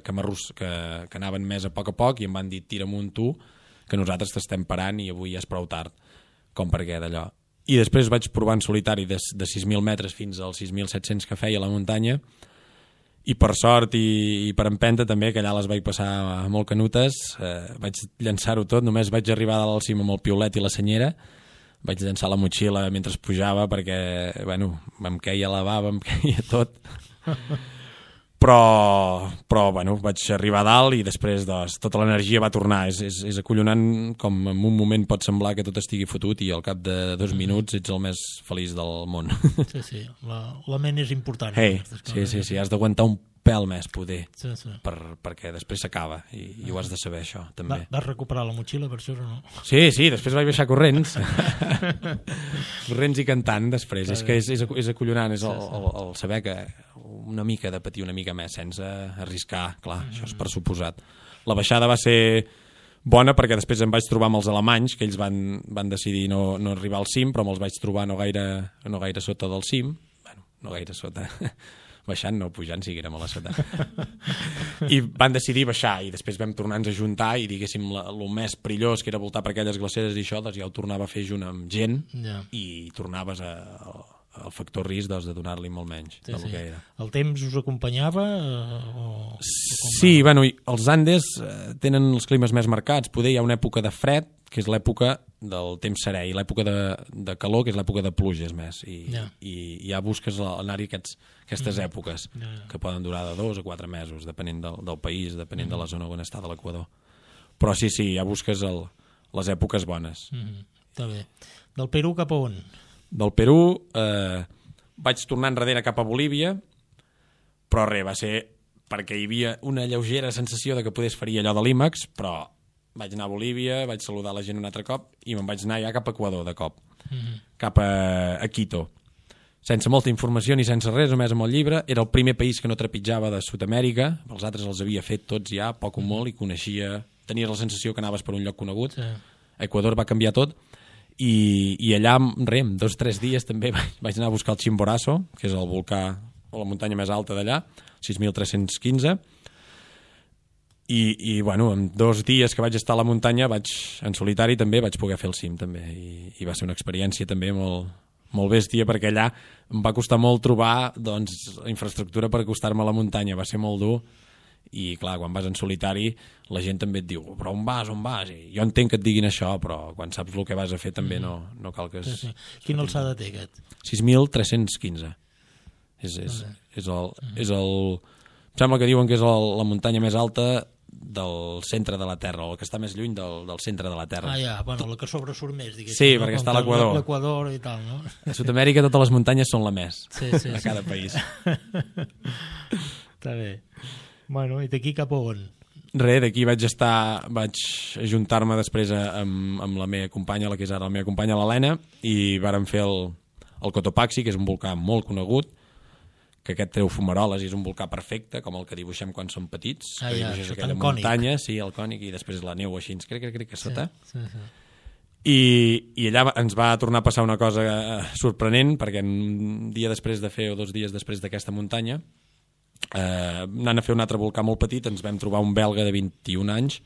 anaven més a poc i em van dir, tira amunt tu, que nosaltres t'estem parant i avui ja és prou tard, com per què d'allò. I després vaig provar en solitari de 6.000 metres fins als 6.700 que feia la muntanya, i per sort i per empenta també, que allà les vaig passar molt canutes, vaig llançar-ho tot, només vaig arribar a dalt al cim amb el piolet i la senyera, vaig llançar la motxilla mentre pujava perquè, bueno, em queia la bava, em queia tot. Però bueno, vaig arribar a dalt i després tota l'energia va tornar. És acollonant com en un moment pot semblar que tot estigui fotut i al cap de 2 minuts ets el més feliç del món. Sí, la ment és important. Sí, has d'aguantar un pèl més poder, perquè després s'acaba i ho has de saber, això també. Vas recuperar la motxilla per això o no? Sí, després vaig baixar corrents corrents i cantant després. És que és acollonant, és el saber que una mica de patir una mica més sense arriscar, clar, això és per suposat. La baixada va ser bona perquè després em vaig trobar amb els alemanys, que ells van decidir no arribar al cim, però me'ls vaig trobar no gaire sota del cim, bueno, no gaire sota baixant, no pujant, sí que érem a la sota. I van decidir baixar i després vam tornar-nos a juntar i diguéssim el més perillós, que era voltar per aquelles glaceres i això, doncs ja ho tornava a fer junt amb gent i tornaves al factor risc de donar-li molt menys del que era. El temps us acompanyava? Sí, bueno, els Andes tenen els climes més marcats. Poder hi ha una època de fred, que és l'època del temps serè, i l'època de calor, que és l'època de pluges més, i ja busques anar-hi aquestes èpoques, que poden durar de 2 a 4 mesos, depenent del país, depenent de la zona on està de l'Equador. Però sí, ja busques les èpoques bones. Està bé. Del Perú cap a on? Del Perú vaig tornar enrere cap a Bolívia, però res, va ser perquè hi havia una lleugera sensació de que podés fer allò de l'IMAX, però vaig anar a Bolívia, vaig saludar la gent un altre cop i me'n vaig anar ja cap a Equador de cop, cap a Quito, sense molta informació ni sense res, només amb el llibre. Era el primer país que no trepitjava de Sud-amèrica, els altres els havia fet tots ja, poc o molt, i tenies la sensació que anaves per un lloc conegut. Equador va canviar tot i allà, en 2 o 3 dies també vaig anar a buscar el Chimborazo, que és el volcà o la muntanya més alta d'allà, 6.315, i bueno, en 2 dies que vaig estar a la muntanya en solitari també vaig poder fer el cim també, i va ser una experiència també molt bèstia, perquè allà em va costar molt trobar infraestructura per acostar-me a la muntanya, va ser molt dur. I clar, quan vas en solitari la gent també et diu, però on vas? I jo entenc que et diguin això, però quan saps el que vas a fer també no cal que... Quina alçada té aquest? 6.315. Em sembla que diuen que és la muntanya més alta del centre de la Terra, o el que està més lluny del centre de la Terra. Bueno, la que sobresurt més, diguéssim. Sí, perquè està a l'Equador. L'Equador i tal, no? A Sud-amèrica totes les muntanyes són la més, a cada país. Està bé. Bueno, i d'aquí cap a on? D'aquí vaig ajuntar-me després amb la meva companya, la que és ara la meva companya, l'Helena, i vàrem fer el Cotopaxi, que és un volcà molt conegut, que aquest treu fumaroles i és un volcà perfecte, com el que dibuixem quan som petits, que dibuixes aquella muntanya, sí, el cònic, i després la neu així, crec, a sota. I allà ens va tornar a passar una cosa sorprenent, perquè un dia després de fer, o 2 dies després d'aquesta muntanya, anant a fer un altre volcà molt petit, ens vam trobar un belga de 21 anys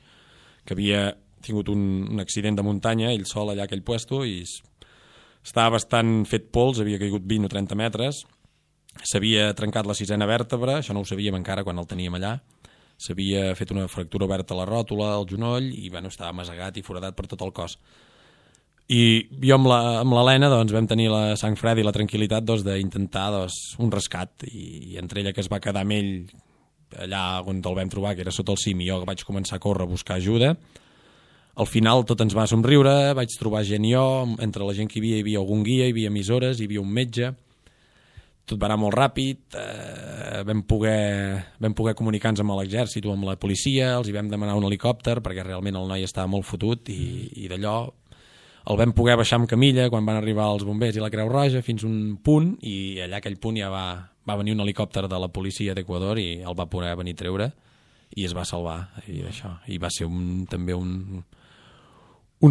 que havia tingut un accident de muntanya, ell sol allà a aquell puesto, i estava bastant fet pols, havia caigut 20 o 30 metres, s'havia trencat la 6a vèrtebra, això no ho sabíem encara quan el teníem allà, s'havia fet una fractura oberta a la ròtula, al genoll, i bueno, estava masegat i foradat per tot el cos. I jo amb l'Helena doncs, vam tenir la sang freda i la tranquil·litat d'intentar un rescat, i entre ella, que es va quedar amb ell allà on el vam trobar, que era sota el cim, i jo vaig començar a córrer a buscar ajuda. Al final tot ens va somriure, vaig trobar gent jo, entre la gent que hi havia algun guia, hi havia emissores, hi havia un metge, tot va anar molt ràpid, vam poder comunicar-nos amb l'exèrcit o amb la policia, els hi vam demanar un helicòpter perquè realment el noi estava molt fotut, i d'allò el vam poder baixar amb camilla quan van arribar els bombers i la Creu Roja fins un punt, i allà aquell punt ja va venir un helicòpter de la policia d'Equador i el va poder venir a treure i es va salvar, i va ser també un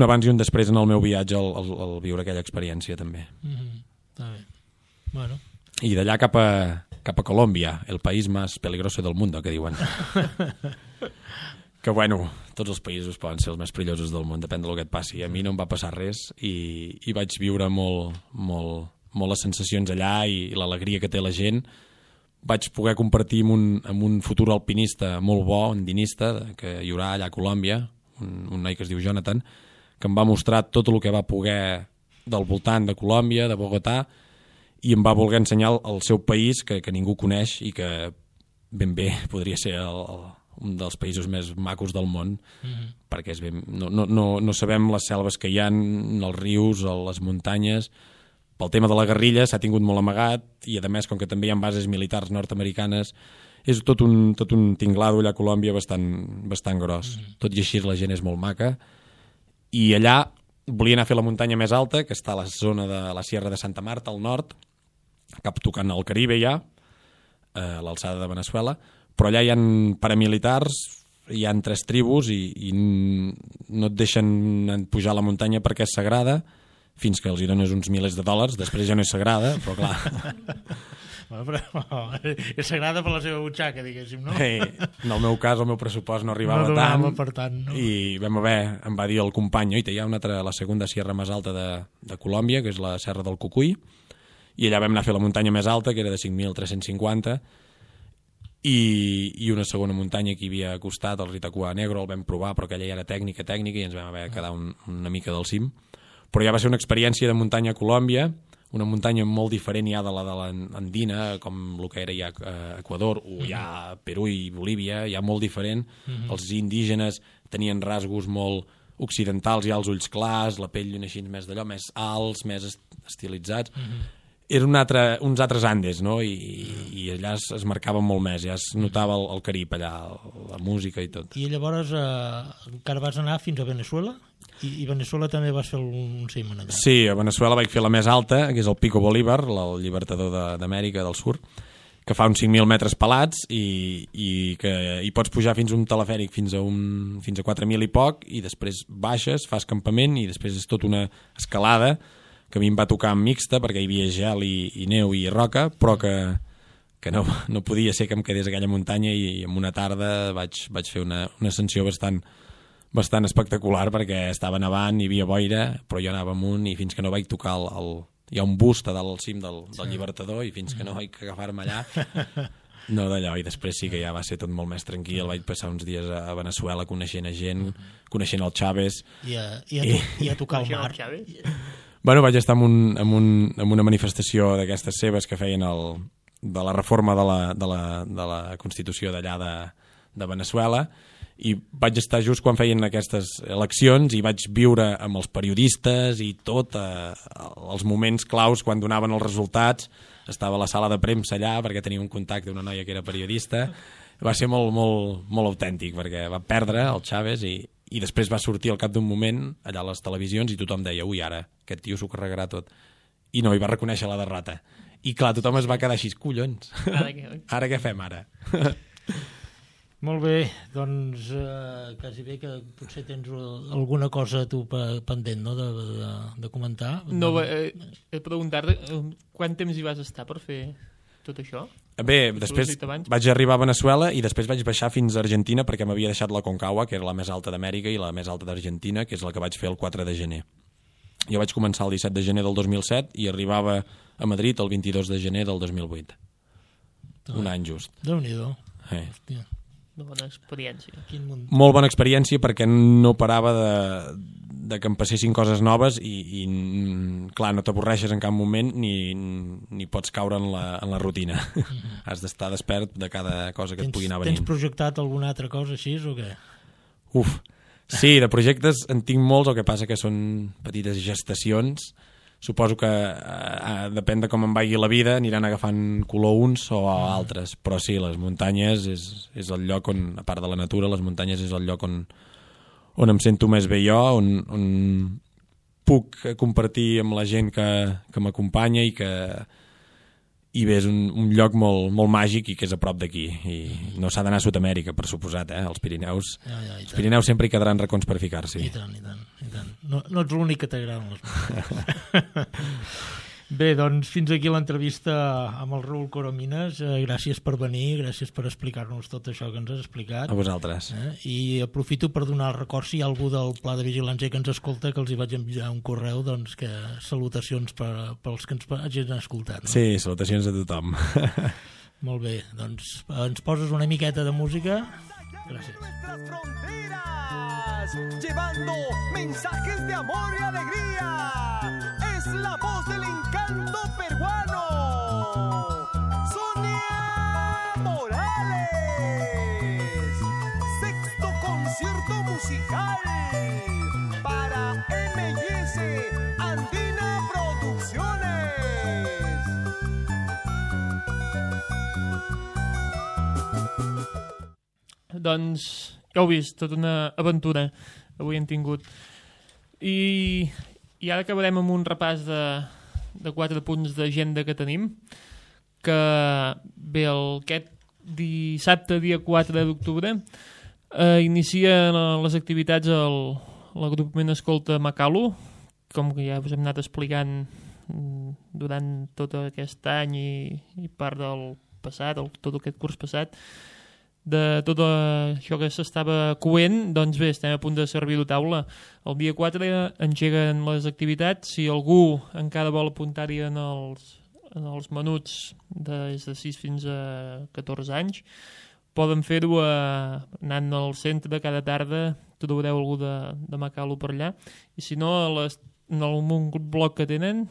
abans i un després en el meu viatge al viure aquella experiència també. Està bé. Bueno. I d'allà cap a Colòmbia, el país més peligroso del món, que diuen. Que bueno, tots els països poden ser els més perillosos del món, depèn del que et passi. A mi no em va passar res i vaig viure molt les sensacions allà i l'alegria que té la gent. Vaig poder compartir amb un futur alpinista molt bo, andinista, que hi haurà allà a Colòmbia, un noi que es diu Jonathan, que em va mostrar tot el que va poder del voltant de Colòmbia, de Bogotà, i em va voler ensenyar el seu país, que ningú coneix i que ben bé podria ser un dels països més macos del món, perquè no sabem les selves que hi ha, els rius, les muntanyes. Pel tema de la guerrilla s'ha tingut molt amagat, i a més, com que també hi ha bases militars nord-americanes, és tot un tinglado allà a Colòmbia bastant gros. Tot i així la gent és molt maca, i allà volia anar a fer la muntanya més alta, que està a la zona de la Sierra de Santa Marta, al nord, cap tocant al Caribe ja, a l'alçada de Veneçuela, però allà hi ha paramilitars, hi ha 3 tribus i no et deixen pujar a la muntanya perquè és sagrada, fins que els hi dones uns milers de dòlars, després ja no és sagrada, però clar... Però és sagrada per la seva butxaca, diguéssim, no? En el meu cas, el meu pressupost no arribava tant, no? I em va dir el company, hi ha la segona sierra més alta de Colòmbia, que és la Serra del Cucuy, i allà vam anar a fer la muntanya més alta, que era de 5.350, i una segona muntanya que hi havia al costat, el Ritacua Negro, el vam provar, però aquella ja era tècnica, i ens vam haver de quedar una mica del cim. Però ja va ser una experiència de muntanya a Colòmbia, una muntanya molt diferent ja de l'andina, com el que era ja a Equador, o ja a Perú i Bolívia, ja molt diferent. Els indígenes tenien rasgos molt occidentals, ja els ulls clars, la pell així més d'allò, més alts, més estilitzats. Eren uns altres Andes, no? I allà es marcava molt més, ja es notava el Carib allà, la música i tot. I llavors encara vas anar fins a Veneçuela? I a Veneçuela també vas fer un cim allà? Sí, a Veneçuela vaig fer la més alta, que és el Pico Bolívar, el llibertador d'Amèrica del Sur, que fa uns 5.000 metres pelats i que hi pots pujar fins a un telefèric fins a 4.000 i poc, i després baixes, fas campament, i després és tota una escalada que a mi em va tocar mixta perquè hi havia gel i neu i roca, però que no podia ser que em quedés a aquella muntanya, i en una tarda vaig fer una ascensió bastant espectacular, perquè estava nevant, hi havia boira, però jo anava amunt, i fins que no vaig tocar hi ha un bust a dalt al cim del llibertador, i fins que no vaig agafar-me allà, no d'allò. I després sí que ja va ser tot molt més tranquil, vaig passar uns dies a Veneçuela coneixent gent, coneixent el Chávez. I a tocar el mar. Bueno, vaig estar en una manifestació d'aquestes seves que feien de la reforma de la Constitució d'allà de Veneçuela, i vaig estar just quan feien aquestes eleccions, i vaig viure amb els periodistes i tot, els moments claus quan donaven els resultats. Estava a la sala de premsa allà perquè tenia un contacte d'una noia que era periodista. Va ser molt, molt, molt autèntic, perquè va perdre el Chávez i després va sortir al cap d'un moment allà a les televisions i tothom deia, ui, ara aquest tio s'ho carregarà tot, i no, i va reconèixer la derrota, i clar, tothom es va quedar així, collons, ara què fem ara? Molt bé, doncs quasi bé que potser tens alguna cosa tu pendent, no?, de comentar. No, preguntar-te quant temps hi vas estar per fer tot això? Bé, després vaig arribar a Veneçuela i després vaig baixar fins a Argentina, perquè m'havia deixat la Concagua, que era la més alta d'Amèrica, i la més alta d'Argentina, que és la que vaig fer el 4 de gener. Jo vaig començar el 17 de gener del 2007 i arribava a Madrid el 22 de gener del 2008. Un any just. Déu-n'hi-do. Una bona experiència. Molt bona experiència, perquè no parava de que em passessin coses noves i clar, no t'avorreixes en cap moment ni pots caure en la rutina. Has d'estar despert de cada cosa que et pugui anar venint. Tens projectat alguna altra cosa així o què? Sí, de projectes en tinc molts, el que passa que són petites gestacions. Suposo que depèn de com em vagi la vida, aniran agafant color uns o altres, però sí, les muntanyes és el lloc on, a part de la natura, les muntanyes és el lloc on em sento més bé jo, on puc compartir amb la gent que m'acompanya i bé, és un lloc molt, molt màgic i que és a prop d'aquí, i no s'ha d'anar a Sud-amèrica, per suposat, els Pirineus. Els Pirineus sempre hi quedaran racons per ficar-s'hi. I tant. No ets l'únic que t'agraden les muntanyes. Bé, doncs fins aquí l'entrevista amb el Raül Coromines. Gràcies per venir, gràcies per explicar-nos tot això que ens has explicat. A vosaltres. I aprofito per donar el record, si hi ha algú del Pla de Vigilància que ens escolta, que els hi vaig enviar un correu, doncs que salutacions pels que ens hagin escoltat. No? Sí, salutacions a tothom. Molt bé, doncs ens poses una miqueta de música. Gràcies. Llevando mensajes de amor y alegría. Es la voz del encanto peruano. Sonia Morales. Sexto concierto musical para M&S Andina Producciones. Doncs ja heu vist, tota una aventura avui hem tingut. I ara acabarem amb un repàs de 4 punts d'agenda que tenim, que bé, aquest dissabte, dia 4 d'octubre, inicia les activitats l'agrupament Escolta Makalu, com que ja us hem anat explicant durant tot aquest any i part del passat, tot aquest curs passat, de tot això que s'estava coent. Doncs bé, estem a punt de servir-ho a taula. El dia 4 engeguen les activitats. Si algú encara vol apuntar-hi en els menuts des de 6 fins a 14 anys, poden fer-ho anant al centre cada tarda, trobareu algú de Makalu per allà. I si no, en un blog que tenen,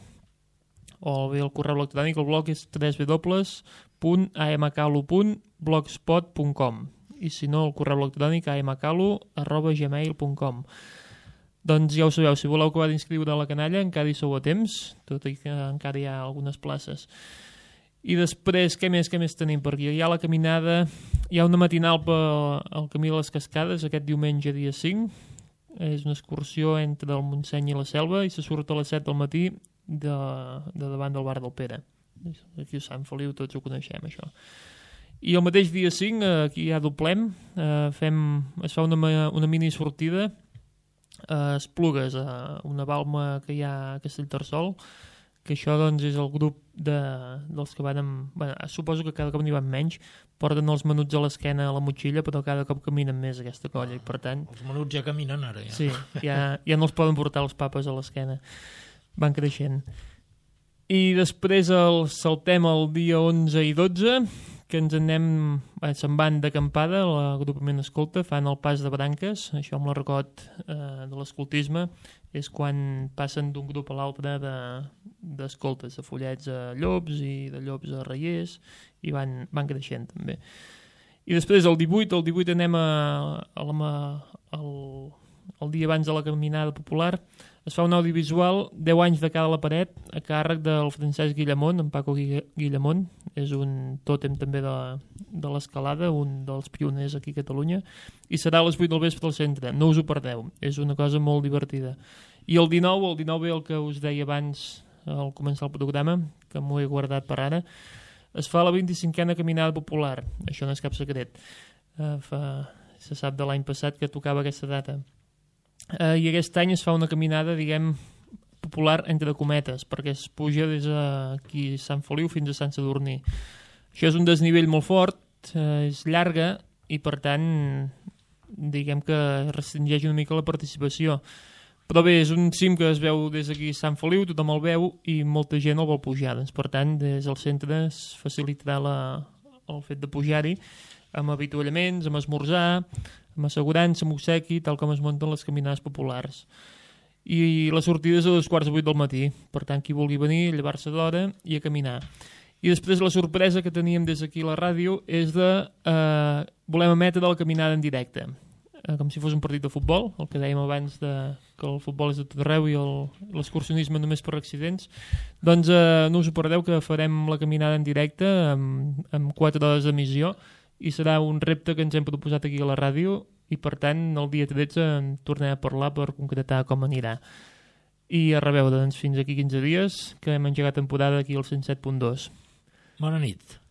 o bé el correu electrònic, el blog és www.amakalu.blogspot.com, i si no, el correu electrònic amakalu@gmail.com. Doncs ja ho sabeu, si voleu acabar d'inscriure a la canalla encara hi sou a temps, tot i que encara hi ha algunes places. I després, què més tenim per aquí? Hi ha la caminada, hi ha una matinal pel Camí de les Cascades aquest diumenge dia 5, és una excursió entre el Montseny i la Selva i se surt a les 7 del matí de davant del bar del Pere. Aquí a Sant Feliu tots ho coneixem, això. I el mateix dia 5, aquí ja doblem, es fa una mini sortida a Esplugues, a una balma que hi ha a Castellterçol, que això doncs és el grup dels que van amb... Bueno, suposo que cada cop n'hi van menys, porten els menuts a l'esquena a la motxilla, però cada cop caminen més aquesta colla, i per tant... Els menuts ja caminen ara, ja. Sí, ja no els poden portar els papes a l'esquena. Van creixent. I després saltem el dia 11 i 12, que se'n van d'acampada, l'agrupament Escolta, fan el pas de branques, això amb l'argot de l'escoltisme, és quan passen d'un grup a l'altre d'escoltes, de follets a llops i de llops a reiers, i van creixent també. I després el 18 anem el dia abans de la caminada popular, es fa un audiovisual 10 anys de cara a la paret a càrrec del Francesc Guillamont, en Paco Guillamont, és un tòtem també de l'escalada, un dels pioners aquí a Catalunya, i serà a les 8 del vespre al centre, no us ho perdeu, és una cosa molt divertida. I el 19 ve el que us deia abans al començar el programa, que m'ho he guardat per ara, es fa la 25a caminada popular, això no és cap secret, se sap de l'any passat que tocava aquesta data. I aquest any es fa una caminada, diguem, popular entre cometes, perquè es puja des d'aquí Sant Feliu fins a Sant Sadurní. Això és un desnivell molt fort, és llarga i per tant diguem que restringeix una mica la participació. Però bé, és un cim que es veu des d'aquí Sant Feliu, tothom el veu i molta gent el vol pujar. Doncs, per tant, des del centre es facilitarà el fet de pujar-hi amb avituallaments, amb esmorzar, amb assegurança, amb obsequi, tal com es munten les caminades populars. i la sortida és a 2:45 del matí. Per tant, qui vulgui venir, llevar-se d'hora i a caminar. I després la sorpresa que teníem des d'aquí a la ràdio és de volem emetre de la caminada en directe, com si fos un partit de futbol, el que dèiem abans que el futbol és de tot arreu i l'excursionisme només per accidents. Doncs no us ho perdeu, que farem la caminada en directe amb 4 hores d'emissió i serà un repte que ens hem proposat aquí a la ràdio i per tant el dia 13 en tornem a parlar per concretar com anirà. I a reveure, doncs, fins aquí 15 dies, que hem engegat temporada aquí al 107.2. Bona nit.